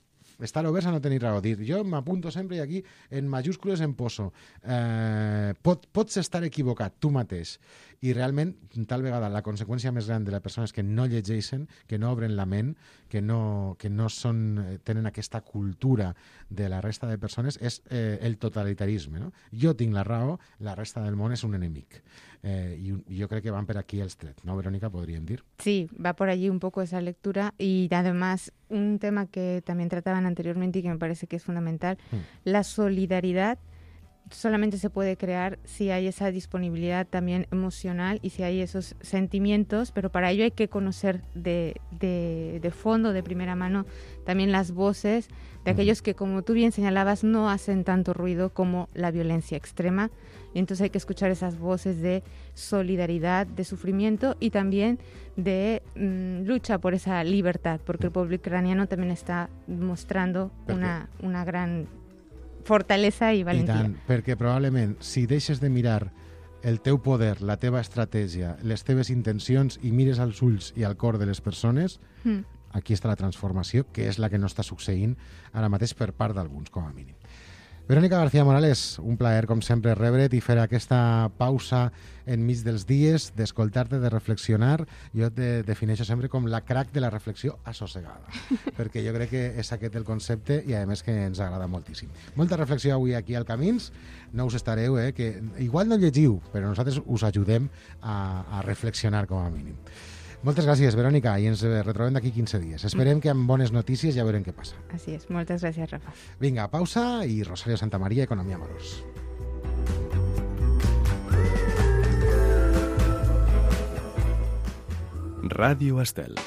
Estar oberts a no tenir raó. Dir, jo m'apunto sempre i aquí en majúscules em poso. Eh, pot, pots estar equivocat, tu mateix. I realment, tal vegada, la conseqüència més gran de les persones que no llegeixen, que no obren la ment, que no, que no són, tenen aquesta cultura de la resta de persones, és eh, el totalitarisme, no? Jo tinc la raó, la resta del món és un enemic. Eh, y, y yo creo que van por aquí els trets, ¿no, Verónica? Podríem dir. Sí, va por allí un poco esa lectura y además un tema que también trataban anteriormente y que me parece que es fundamental, mm. la solidaridad solamente se puede crear si hay esa disponibilidad también emocional y si hay esos sentimientos, pero para ello hay que conocer de, de, de fondo, de primera mano, también las voces de aquellos que, como tú bien señalabas, no hacen tanto ruido como la violencia extrema. Y entonces hay que escuchar esas voces de solidaridad, de sufrimiento y también de mmm, lucha por esa libertad, porque el pueblo ucraniano también está mostrando una, una gran fortalesa i valentia. I tant, perquè probablement si deixes de mirar el teu poder, la teva estratègia, les teves intencions i mires als ulls i al cor de les persones, mm. aquí està la transformació, que és la que no està succeint ara mateix per part d'alguns, com a mínim. Verónica García Morales, un plaer, com sempre, rebre't i fer aquesta pausa enmig dels dies, d'escoltar-te, de reflexionar. Jo te defineixo sempre com la crack de la reflexió assossegada, perquè jo crec que és aquest el concepte i, a més, que ens agrada moltíssim. Molta reflexió avui aquí al Camins. No us estareu, eh, que igual no llegiu, però nosaltres us ajudem a, a reflexionar, com a mínim. Moltes gràcies, Verònica, i ens retrobem d'aquí quinze dies. Esperem que amb bones notícies ja veurem què passa. Així és, moltes gràcies, Rafa. Vinga, pausa i Rosario Santamaría, Economia amb Valors. Ràdio Estel.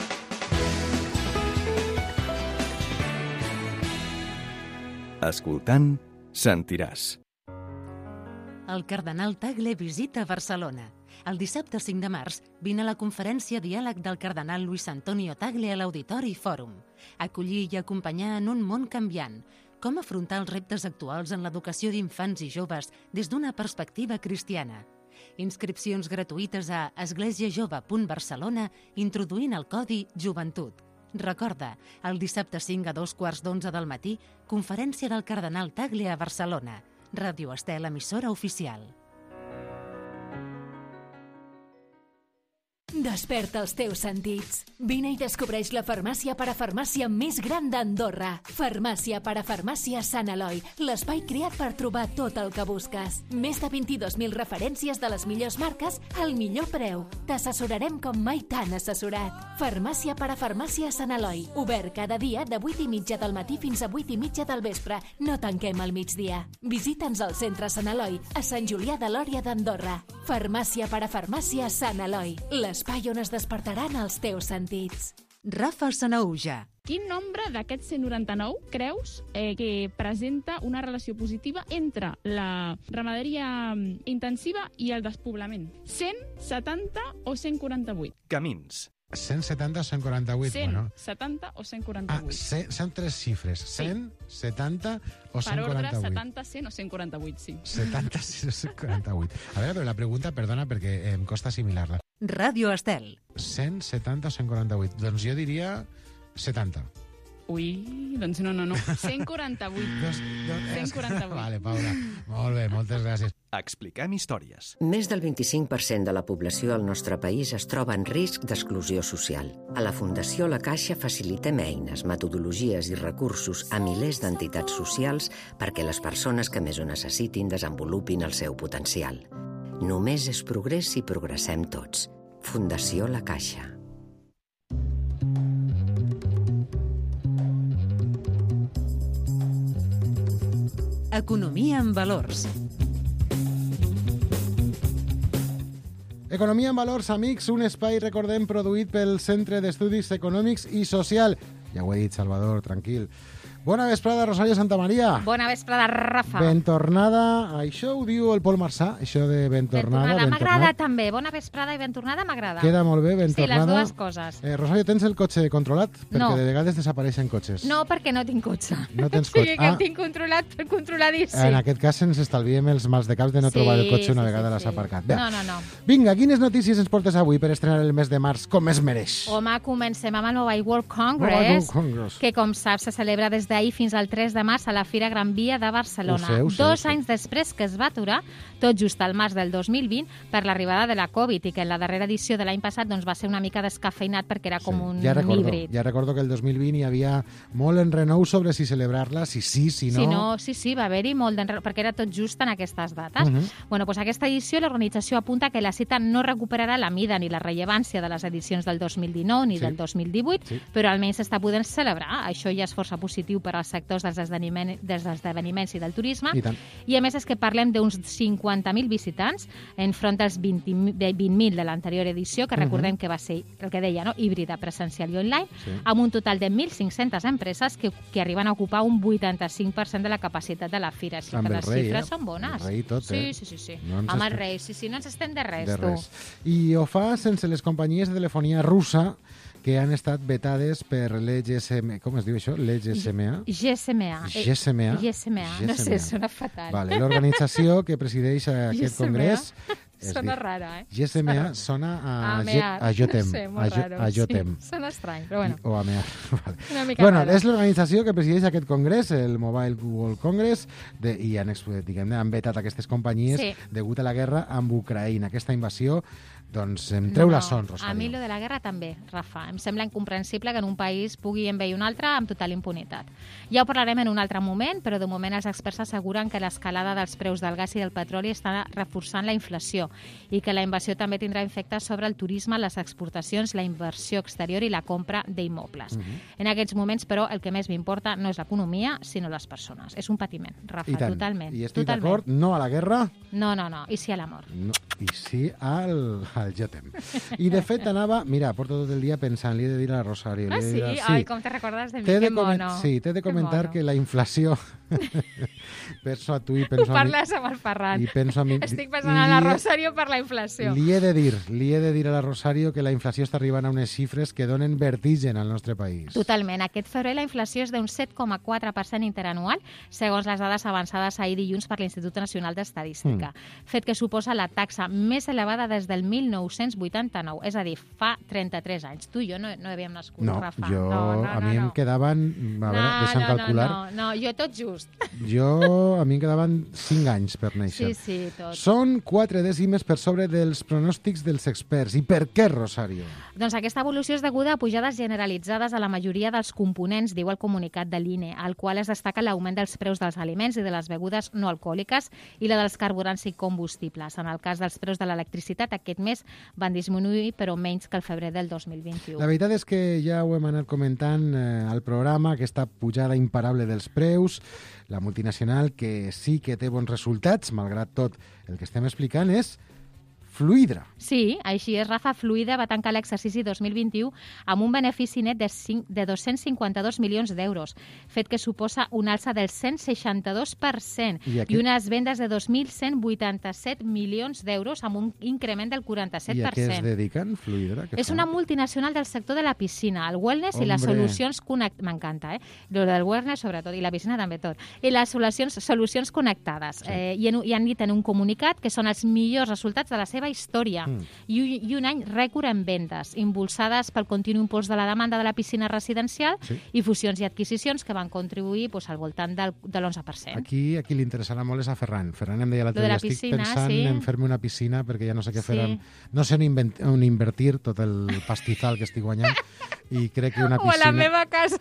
Escoltant, sentiràs. El cardenal Tagle visita Barcelona. El dissabte cinc de març vine a la conferència Diàleg del cardenal Luis Antonio Tagle a l'Auditori Fòrum. Acollir i acompanyar en un món canviant. Com afrontar els reptes actuals en l'educació d'infants i joves des d'una perspectiva cristiana. Inscripcions gratuïtes a esglésiajove punt barcelona introduint el codi Joventut. Recorda, el dissabte cinc a dos quarts d'onze del matí, conferència del cardenal Tagle a Barcelona. Ràdio Estel, emissora oficial. Desperta els teus sentits. Vine i descobreix la farmàcia parafarmàcia més gran d'Andorra. Farmàcia parafarmàcia Sant Eloi, l'espai creat per trobar tot el que busques. Més de vint-i-dos mil referències de les millors marques al millor preu. T'assessorarem com mai t'han assessorat. Farmàcia parafarmàcia Sant Eloi, obert cada dia de vuit i mitja del matí fins a vuit i mitja del vespre. No tanquem al migdia. Visita'ns al centre Sant Eloi, a Sant Julià de Lòria d'Andorra. Farmàcia parafarmàcia Sant Eloi, l'espai on es despertaran els teus sentits. Rafa Sanauja. Quin nombre d'aquests cent noranta-nou creus eh, que presenta una relació positiva entre la ramaderia intensiva i el despoblament? cent setanta o cent quaranta-vuit? Camins. cent setanta o cent quaranta-vuit? cent bueno. setanta o cent quaranta-vuit? Ah, cent, són tres xifres. cent setanta o cent quaranta-vuit? Per ordre, setanta, cent o cent quaranta-vuit, sí. setanta, cent o cent quaranta-vuit. A veure, però la pregunta, perdona, perquè em costa assimilar-la. Ràdio Estel. cent setanta o cent quaranta-vuit? Doncs jo diria setanta. Ui, doncs no, no, no. cent quaranta-vuit. Dos, dos, cent quaranta-vuit. Vale, Paula. Molt bé, moltes gràcies. Expliquem històries. Més del vint-i-cinc per cent de la població al nostre país es troba en risc d'exclusió social. A la Fundació La Caixa facilitem eines, metodologies i recursos a milers d'entitats socials perquè les persones que més ho necessitin desenvolupin el seu potencial. Només és progrés si progressem tots. Fundació La Caixa. Economia amb valors. Economia en valors, amics, un espai, recordem, produït pel Centre d'Estudis Econòmics i Social. Ja ho he dit, Salvador, tranquil. Bona vesprada, Rosario Santamaría. Bona vesprada, Rafa. Ben tornada. Això ho diu el Pol Marçà, això de ben tornada. Ben tornada. M'agrada també. Bona vesprada i ben tornada m'agrada. Queda molt bé, ben sí, tornada. Sí, les dues coses. Eh, Rosario, tens el cotxe controlat? Perquè no. de vegades desapareixen cotxes. No, perquè no tinc cotxe. No tens cotxe. Sí, que ah. el tinc controlat, controladíssim. En aquest cas ens estalviem els mals de caps de no sí, trobar el cotxe una sí, vegada sí, l'has sí. aparcat. Bé. No, no, no. Vinga, quines notícies ens portes avui per estrenar el mes de març com es mereix? Home, comencem amb el Mobile World Congress, Mobile Congress. que com saps se celebra des d'ahir fins al tres de març a la Fira Gran Via de Barcelona. Ho sé, ho sé, Dos ho sé. anys després que es va aturar, tot just al març del dos mil vint, per l'arribada de la Covid, i que en la darrera edició de l'any passat doncs, va ser una mica descafeinat perquè era com Sí, un ja recordo, híbrid. Ja recordo que el dos mil vint hi havia molt enrenou sobre si celebrar-la, si sí, si no... Si no, sí, sí, va haver-hi molt d'enrenou, perquè era tot just en aquestes dates. Uh -huh. Bueno, doncs aquesta edició l'organització apunta que la cita no recuperarà la mida ni la rellevància de les edicions del dos mil dinou ni Sí. del dos mil divuit, Sí. però almenys s'està podent celebrar. Això ja és força positiu per als sectors dels esdeveniments, dels esdeveniments i del turisme. I tant. I a més és que parlem d'uns cinquanta mil visitants enfront dels vint mil de l'anterior edició, que recordem que va ser el que deia, no? Híbrida, presencial i online, Sí. amb un total de mil cinc-centes empreses que, que arriben a ocupar un vuitanta-cinc per cent de la capacitat de la fira. Així Amb que el les rei, xifres eh? són bones. El rei i tot, sí, eh? sí, sí, sí. No ens Amb el estem- rei, sí, sí, no ens estem de res, de tu. res. I ho fa sense les companyies de telefonia russa que han estat vetades per l'E G S M... Com es diu això? l'E G S M A? G S M A. G S M A? G S M A, no sé, sona fatal. Vale, l'organització que presideix aquest G S M A? congrés... es Sona diu- rara, eh? G S M A sona a, A Ge- mear. a Jotem. No sé, a, molt Jo- raro. a Jotem. Sí, sona estrany, però bueno. O a mear. Vale. Una mica Bueno, rara. és l'organització que presideix aquest congrés, el Mobile World Congress, de, i han, ex- diguem, han vetat aquestes companyies Sí. degut a la guerra amb Ucraïna. Aquesta invasió, doncs, em treu la son, A mi Rosario. lo de la guerra també, Rafa. Em sembla incomprensible que en un país pugui envair un altre amb total impunitat. Ja ho parlarem en un altre moment, però de moment els experts asseguren que l'escalada dels preus del gas i del petroli està reforçant la inflació i que la invasió també tindrà efectes sobre el turisme, les exportacions, la inversió exterior i la compra d'immobles. Mhm. En aquests moments, però, el que més m'importa no és l'economia, sinó les persones. És un patiment, Rafa, I tant. totalment. I estic totalment. d'acord, no a la guerra, No, no, no. I sí a l'amor. no, i sí al, al Jotem. I de fet anava, mira, porto tot el dia pensant, li he de dir a la Rosario. li Ah, he de sí? dir a- Ai, com te recordes de mi? T'he de Que comen- mono. Sí, t'he de Que comentar mono. que la inflació... penso a tu i penso Ho a mi... parles amb el Ferran. I penso a mi... Estic pensant en la li he- Rosario per la inflació. Li he de dir, li he de dir a la Rosario que la inflació està arribant a unes xifres que donen vertigen al nostre país. Totalment. Aquest febrer la inflació és d'un set coma quatre per cent interanual, segons les dades avançades ahir dilluns per l'Institut Nacional d'Estadística. Mm. Fet que suposa la taxa més elevada des del mil nou-cents vuitanta-nou, és a dir, fa trenta-tres anys. Tu i jo no, no havíem nascut, No, Rafa. jo, no, no, a mi no, em no. quedaven... A veure, no, deixa'm no, calcular. No, no, no, jo tot just. Jo, a mi em quedaven cinc anys per néixer. Sí, sí, tot. Són quatre dècimes per sobre dels pronòstics dels experts. I per què, Rosario? Doncs aquesta evolució és deguda a pujades generalitzades a la majoria dels components, diu el comunicat de l'I N E, al qual es destaca l'augment dels preus dels aliments i de les begudes no alcohòliques i la dels carburants i combustibles. En el cas dels preus de l'electricitat, aquest mes van disminuir, però menys que el febrer del dos mil vint-i-u. La veritat és que ja ho hem anat comentant eh, al programa, aquesta pujada imparable dels preus, la multinacional que sí que té bons resultats, malgrat tot el que estem explicant, és Fluidra. Sí, així és, Rafa. Fluida va tancar l'exercici dos mil vint-i-u amb un benefici net de, cinc, de dos-cents cinquanta-dos milions d'euros, fet que suposa una alça del cent seixanta-dos per cent I i, aquest- i unes vendes de dos mil cent vuitanta-set milions d'euros amb un increment del quaranta-set I a per què es cent. dediquen, Fluidra? Què És fan? una multinacional del sector de la piscina, el wellness i les Hombre. solucions connectades. M'encanta, eh? Lo del wellness, sobretot, i la piscina també tot. I les solucions, solucions connectades. Sí. Eh, i, en, I han dit en un comunicat que són els millors resultats de la seva història. Mm. I, un- I un any rècord en vendes, impulsades pel continu impuls de la demanda de la piscina residencial Sí. i fusions i adquisicions que van contribuir pues, al voltant del, de l'onze per cent. Aquí, a qui li interessarà molt és a Ferran. Ferran em deia l'altre Lo de dia, la estic piscina, pensant sí. en fer-me una piscina perquè ja no sé què fer. Sí. Amb... No sé on, invent... on invertir tot el pastizal que estic guanyant i crec que una O a piscina... la meva casa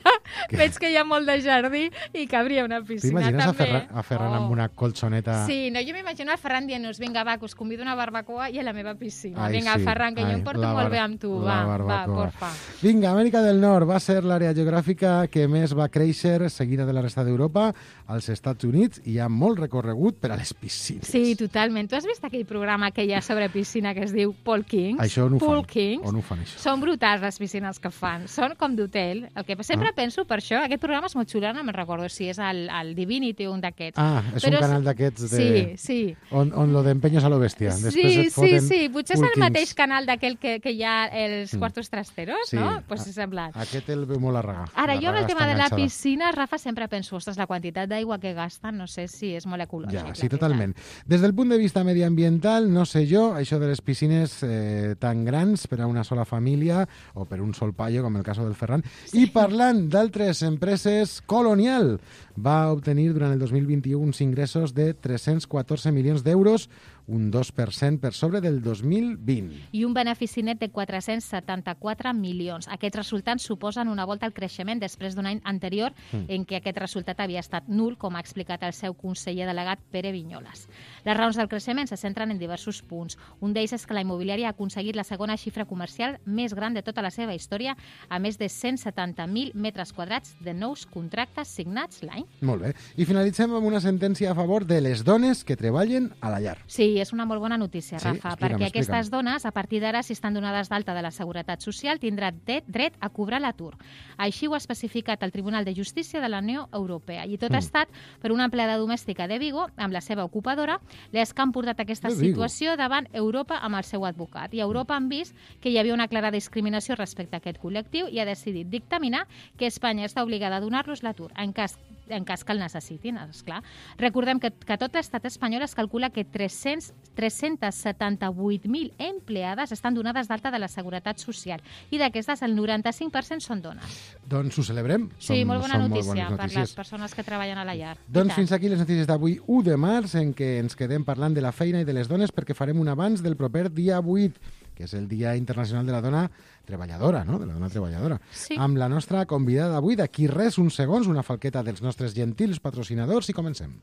veig que hi ha molt de jardí i cabria una piscina T'imagines a, també. Ferran, a Ferran amb una colxoneta... Sí, no, jo m'imagino el Ferran dient-nos, vinga, va, que us convido a una barbacoa i a la meva piscina. Ai, vinga, sí. Ferran, que jo Ai, em porto la molt bar- bé amb tu. la Va, va, barbacoa. porfa. Vinga, Amèrica del Nord va ser l'àrea geogràfica que més va créixer, seguida de la resta d'Europa, als Estats Units, i hi ha molt recorregut per a les piscines. Sí, totalment. Tu has vist aquell programa que hi ha sobre piscina que es diu Paul Kings? Això on ho Paul fan? Kings. On ho fan, això? Són brutals les piscines que fan. Són com d'hotel. El que sempre Ah. penso per això, aquest programa és molt xulo, no me'n recordo si és el, el Divinity o un d'aquests. Ah, és Però un canal d'aquests de... Sí, sí. On, on lo d'empenyos a lo bèstia. Després Sí, et sí, foten sí. Potser és Paul el Kings. mateix canal d'aquell que, que hi ha els Mm. quartos trasteros, Sí. no? Pues Ah, és semblant. Aquest el veu molt a regar. Ara, La jo amb el raga tema està de la enganxada. piscina, Rafa, sempre penso, ostres, la quantitat d'aigua que gasten, no sé si és molt ecològic. Ja, la sí, veritat. totalment. Des del punt de vista mediambiental, no sé jo, això de les piscines eh, tan grans per a una sola família o per un sol paio, com el cas del Ferran. Sí. I parlant d'altres empreses, Colonial va obtenir durant el dos mil vint-i-u uns ingressos de tres-cents catorze milions d'euros, un dos per cent per sobre del dos mil vint. I un benefici net de quatre-cents setanta-quatre milions. Aquests resultats suposen una volta al creixement després d'un any anterior Mm. en què aquest resultat havia estat nul, com ha explicat el seu conseller delegat Pere Vinyoles. Les raons del creixement se centren en diversos punts. Un d'ells és que la immobiliària ha aconseguit la segona xifra comercial més gran de tota la seva història, a més de cent setanta mil metres quadrats de nous contractes signats l'any. Molt bé. I finalitzem amb una sentència a favor de les dones que treballen a la llar. Sí, és una molt bona notícia, Sí? Rafa, Explica'm, perquè aquestes explica'm. dones, a partir d'ara, si estan donades d'alta de la Seguretat Social, tindran dret, dret a cobrar l'atur. Així ho ha especificat el Tribunal de Justícia de la Unió Europea. I tot Mm. ha estat per una empleada domèstica de Vigo, amb la seva ocupadora, les que han portat aquesta De Vigo. situació davant Europa amb el seu advocat. I a Europa han vist que hi havia una clara discriminació respecte a aquest col·lectiu i ha decidit dictaminar que Espanya està obligada a donar-los l'atur en cas en cas que el necessitin, esclar. Recordem que, que tot l'estat espanyol es calcula que tres-cents tres-cents setanta-vuit mil empleades estan donades d'alta de la Seguretat Social i d'aquestes el noranta-cinc per cent són dones. Doncs ho celebrem. Sí, Són- molt bona són notícia bones per notícies. les persones que treballen a la llar. I Doncs tant. fins aquí les notícies d'avui, u de març, en què ens quedem parlant de la feina i de les dones, perquè farem un abans del proper dia vuit, que és el Dia Internacional de la Dona Treballadora, no? De la dona treballadora. Sí. Amb la nostra convidada d'avui, d'aquí res, uns segons, una falqueta dels nostres gentils patrocinadors i comencem.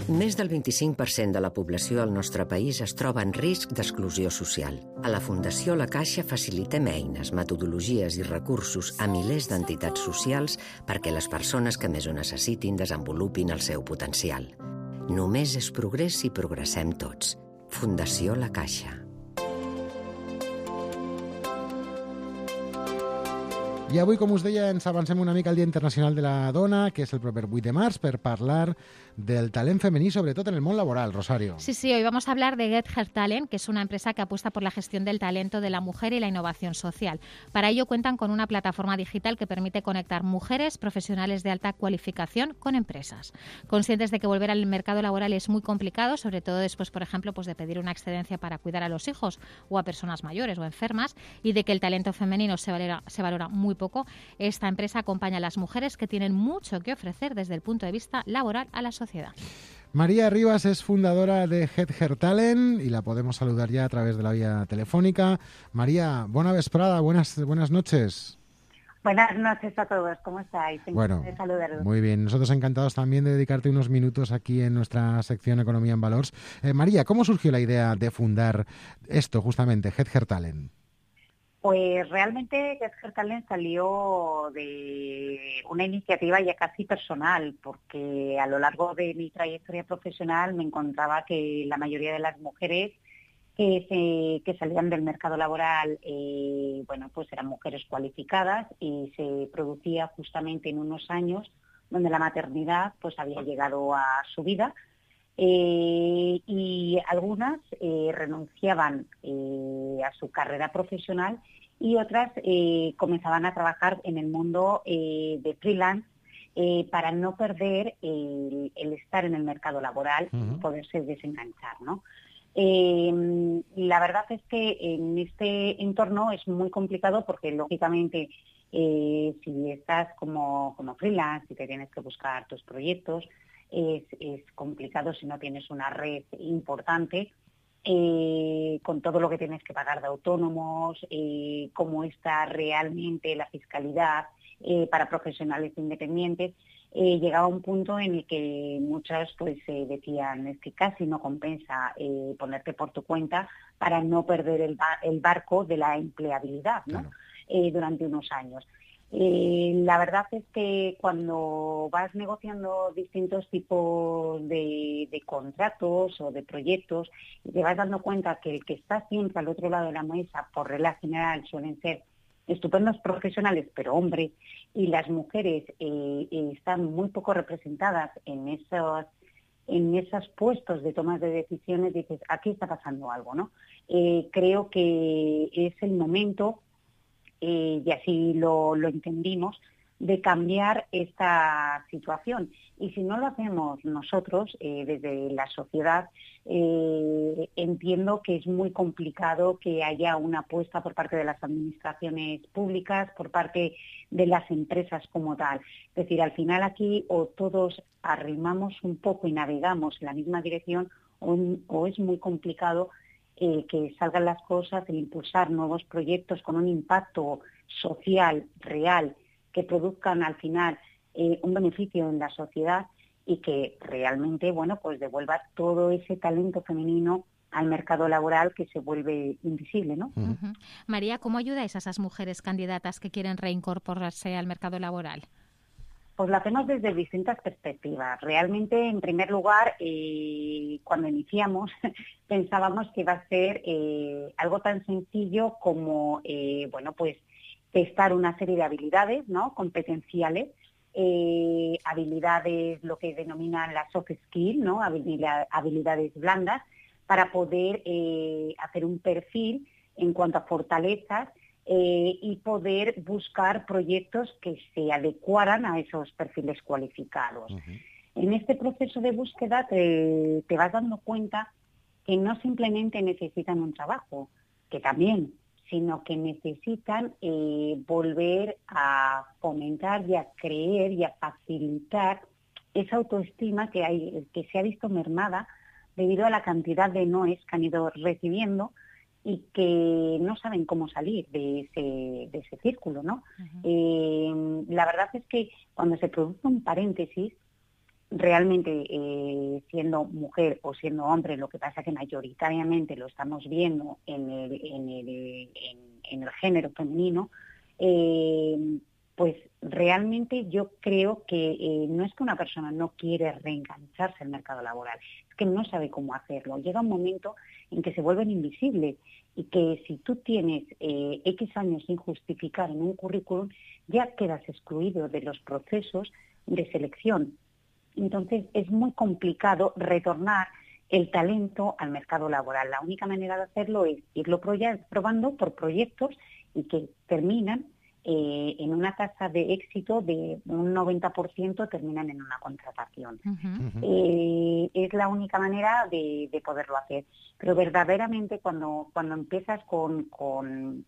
Més del vint-i-cinc per cent de la població al nostre país es troba en risc d'exclusió social. A la Fundació La Caixa facilitem eines, metodologies i recursos a milers d'entitats socials perquè les persones que més ho necessitin desenvolupin el seu potencial. Només és progrés si progressem tots. Fundació La Caixa. I avui, com us deia, ens avancem una mica al Dia Internacional de la Dona, que és el proper vuit de març, per parlar del talent femení, sobretot en el món laboral, Rosario. Sí, sí, hoy vamos a hablar de Get Her Talent, que es una empresa que apuesta por la gestión del talento de la mujer y la innovación social. Para ello cuentan con una plataforma digital que permite conectar mujeres profesionales de alta cualificación con empresas. Conscientes de que volver al mercado laboral es muy complicado, sobre todo después, por ejemplo, pues de pedir una excedencia para cuidar a los hijos o a personas mayores o enfermas, y de que el talento femenino se valora, se valora muy poco, esta empresa acompaña a las mujeres que tienen mucho que ofrecer desde el punto de vista laboral a la sociedad. María Rivas es fundadora de Get Her Talent y la podemos saludar ya a través de la vía telefónica. María, buena vesprada, buenas, buenas noches. Buenas noches a todos, ¿cómo estáis? Bueno, de saludaros. Muy bien, nosotros encantados también de dedicarte unos minutos aquí en nuestra sección Economía en Valors. Eh, María, ¿cómo surgió la idea de fundar esto, justamente, Get Her Talent? Pues realmente Get Her Talent salió de una iniciativa ya casi personal, porque a lo largo de mi trayectoria profesional me encontraba que la mayoría de las mujeres que, se, que salían del mercado laboral, eh, bueno, pues eran mujeres cualificadas y se producía justamente en unos años donde la maternidad pues había llegado a su vida. Eh, y algunas eh, renunciaban eh, a su carrera profesional y otras eh, comenzaban a trabajar en el mundo eh, de freelance eh, para no perder el, el estar en el mercado laboral y poderse desenganchar, ¿no? Eh, la verdad es que en este entorno es muy complicado porque lógicamente eh, si estás como, como freelance y te tienes que buscar tus proyectos, Es, es complicado si no tienes una red importante, eh, con todo lo que tienes que pagar de autónomos, eh, cómo está realmente la fiscalidad eh, para profesionales independientes. Eh, llegaba un punto en el que muchas pues eh, decían es que casi no compensa eh, ponerte por tu cuenta para no perder el, ba- el barco de la empleabilidad, ¿no? Claro. Eh, durante unos años. Eh, la verdad es que cuando vas negociando distintos tipos de, de contratos o de proyectos y te vas dando cuenta que el que está siempre al otro lado de la mesa, por regla general, suelen ser estupendos profesionales, pero hombres, y las mujeres eh, eh, están muy poco representadas en esos, en esos puestos de tomas de decisiones, dices, aquí está pasando algo, ¿no? Eh, creo que es el momento, Eh, y así lo, lo entendimos, de cambiar esta situación. Y si no lo hacemos nosotros, eh, desde la sociedad, eh, entiendo que es muy complicado que haya una apuesta por parte de las administraciones públicas, por parte de las empresas como tal. Es decir, al final aquí o todos arrimamos un poco y navegamos en la misma dirección o, o es muy complicado Eh, que salgan las cosas, el impulsar nuevos proyectos con un impacto social real que produzcan al final eh, un beneficio en la sociedad y que realmente, bueno, pues devuelva todo ese talento femenino al mercado laboral que se vuelve invisible, ¿no? Uh-huh. María, ¿cómo ayudáis a esas mujeres candidatas que quieren reincorporarse al mercado laboral? Pues lo hacemos desde distintas perspectivas. Realmente, en primer lugar, eh, cuando iniciamos, pensábamos que iba a ser eh, algo tan sencillo como, eh, bueno, pues testar una serie de habilidades, ¿no? Competenciales, eh, habilidades, lo que denominan las soft skills, ¿no? Habilidad, habilidades blandas, para poder eh, hacer un perfil en cuanto a fortalezas eh, y poder buscar proyectos que se adecuaran a esos perfiles cualificados. Uh-huh. En este proceso de búsqueda te, te vas dando cuenta que no simplemente necesitan un trabajo, que también, sino que necesitan eh, volver a fomentar y a creer y a facilitar esa autoestima que, hay, que se ha visto mermada debido a la cantidad de noes que han ido recibiendo y que no saben cómo salir de ese, de ese círculo, ¿no? Uh-huh. Eh, la verdad es que cuando se produce un paréntesis, realmente eh, siendo mujer o siendo hombre, lo que pasa que mayoritariamente lo estamos viendo en el, en el, en, en el género femenino, eh, pues realmente yo creo que eh, no es que una persona no quiere reengancharse al mercado laboral, es que no sabe cómo hacerlo. Llega un momento en que se vuelven invisibles y que si tú tienes eh, X años sin justificar en un currículum, ya quedas excluido de los procesos de selección. Entonces es muy complicado retornar el talento al mercado laboral. La única manera de hacerlo es irlo probando por proyectos y que terminan eh, en una tasa de éxito de un noventa por ciento, terminan en una contratación. Uh-huh. Eh, es la única manera de, de poderlo hacer. Pero verdaderamente cuando, cuando empiezas con, con,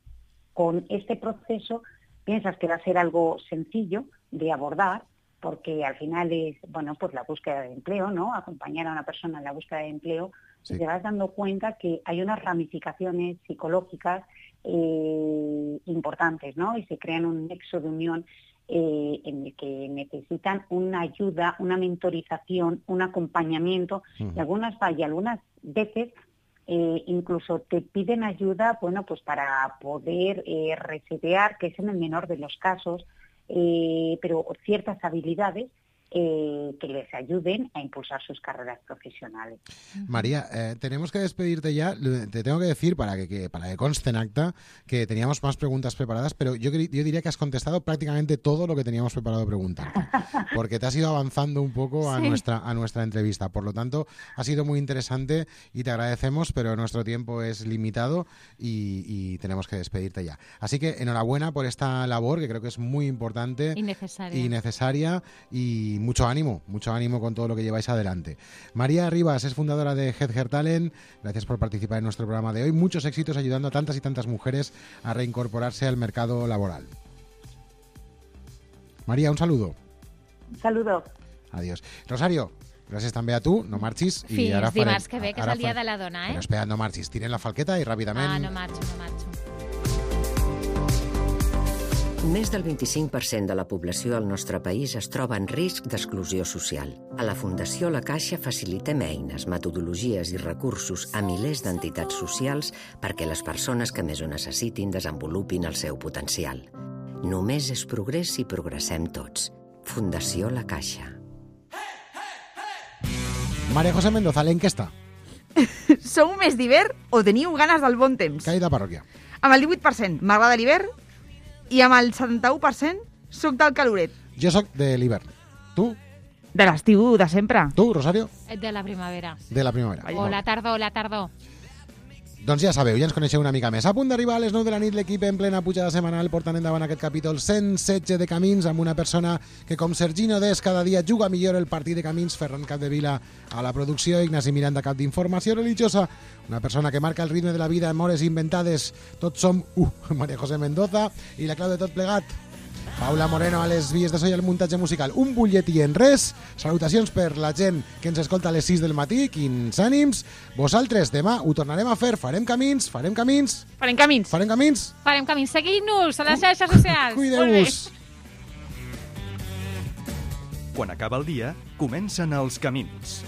con este proceso, piensas que va a ser algo sencillo de abordar, porque al final es, bueno, pues la búsqueda de empleo, ¿no? Acompañar a una persona en la búsqueda de empleo, sí. Y te vas dando cuenta que hay unas ramificaciones psicológicas eh, importantes, ¿no? Y se crean un nexo de unión eh, en el que necesitan una ayuda, una mentorización, un acompañamiento, uh-huh. y algunas y algunas veces eh, incluso te piden ayuda, bueno, pues para poder eh, resetear, que es en el menor de los casos, Eh, pero ciertas habilidades eh, que les ayuden a impulsar sus carreras profesionales. María, eh, tenemos que despedirte ya. Te tengo que decir, para que, que, para que conste en acta, que teníamos más preguntas preparadas, pero yo, yo diría que has contestado prácticamente todo lo que teníamos preparado preguntarte, porque te has ido avanzando un poco a, sí. nuestra, a nuestra entrevista. Por lo tanto, ha sido muy interesante y te agradecemos, pero nuestro tiempo es limitado y, y tenemos que despedirte ya. Así que enhorabuena por esta labor, que creo que es muy importante y necesaria, y, necesaria, y mucho ánimo, mucho ánimo con todo lo que lleváis adelante. María Rivas es fundadora de Headher Talent. Gracias por participar en nuestro programa de hoy. Muchos éxitos ayudando a tantas y tantas mujeres a reincorporarse al mercado laboral. María, un saludo. Un saludo. Adiós. Rosario, gràcies també a tu, no marxis. Sí, i ara és dimarts farem, que ve, que és el dia de la dona, eh? Però espera, no marxis, tiren la falqueta i ràpidament... Ah, no marxo, no marxo. Més del vint-i-cinc per cent de la població al nostre país es troba en risc d'exclusió social. A la Fundació La Caixa facilitem eines, metodologies i recursos a milers d'entitats socials perquè les persones que més ho necessitin desenvolupin el seu potencial. Només és progrés si progressem tots. Fundació La Caixa. María José Mendoza, l'enquesta. Sou més d'hivern o teniu ganes del bon temps? Caïda parròquia. Amb el divuit per cent m'agrada l'hivern i amb el setanta-u per cent soc del caloret. Jo soc de l'hivern. Tu? De l'estiu, de sempre. Tu, Rosario? De la primavera. De la primavera. O la tardor, la tardor. Doncs ja sabeu, ja ens coneixeu una mica més. A punt d'arribar a les nou de la nit, l'equip en plena pujada setmanal portant endavant aquest capítol cent setze de Camins amb una persona que, com Sergino Des, cada dia juga millor el partit de Camins. Ferran Capdevila a la producció, Ignasi Miranda, cap d'informació religiosa. Una persona que marca el ritme de la vida en hores inventades. Tots som uh, María José Mendoza i la clau de tot plegat, Paula Moreno a les vies de so i al muntatge musical. Un butlletí en res. Salutacions per la gent que ens escolta a les sis del matí. Quins ànims. Vosaltres, demà ho tornarem a fer. Farem camins, farem camins. Farem camins. Farem camins. Farem camins. Seguim-nos a les xarxes socials. Cuideu-vos. Quan acaba el dia, comencen els camins.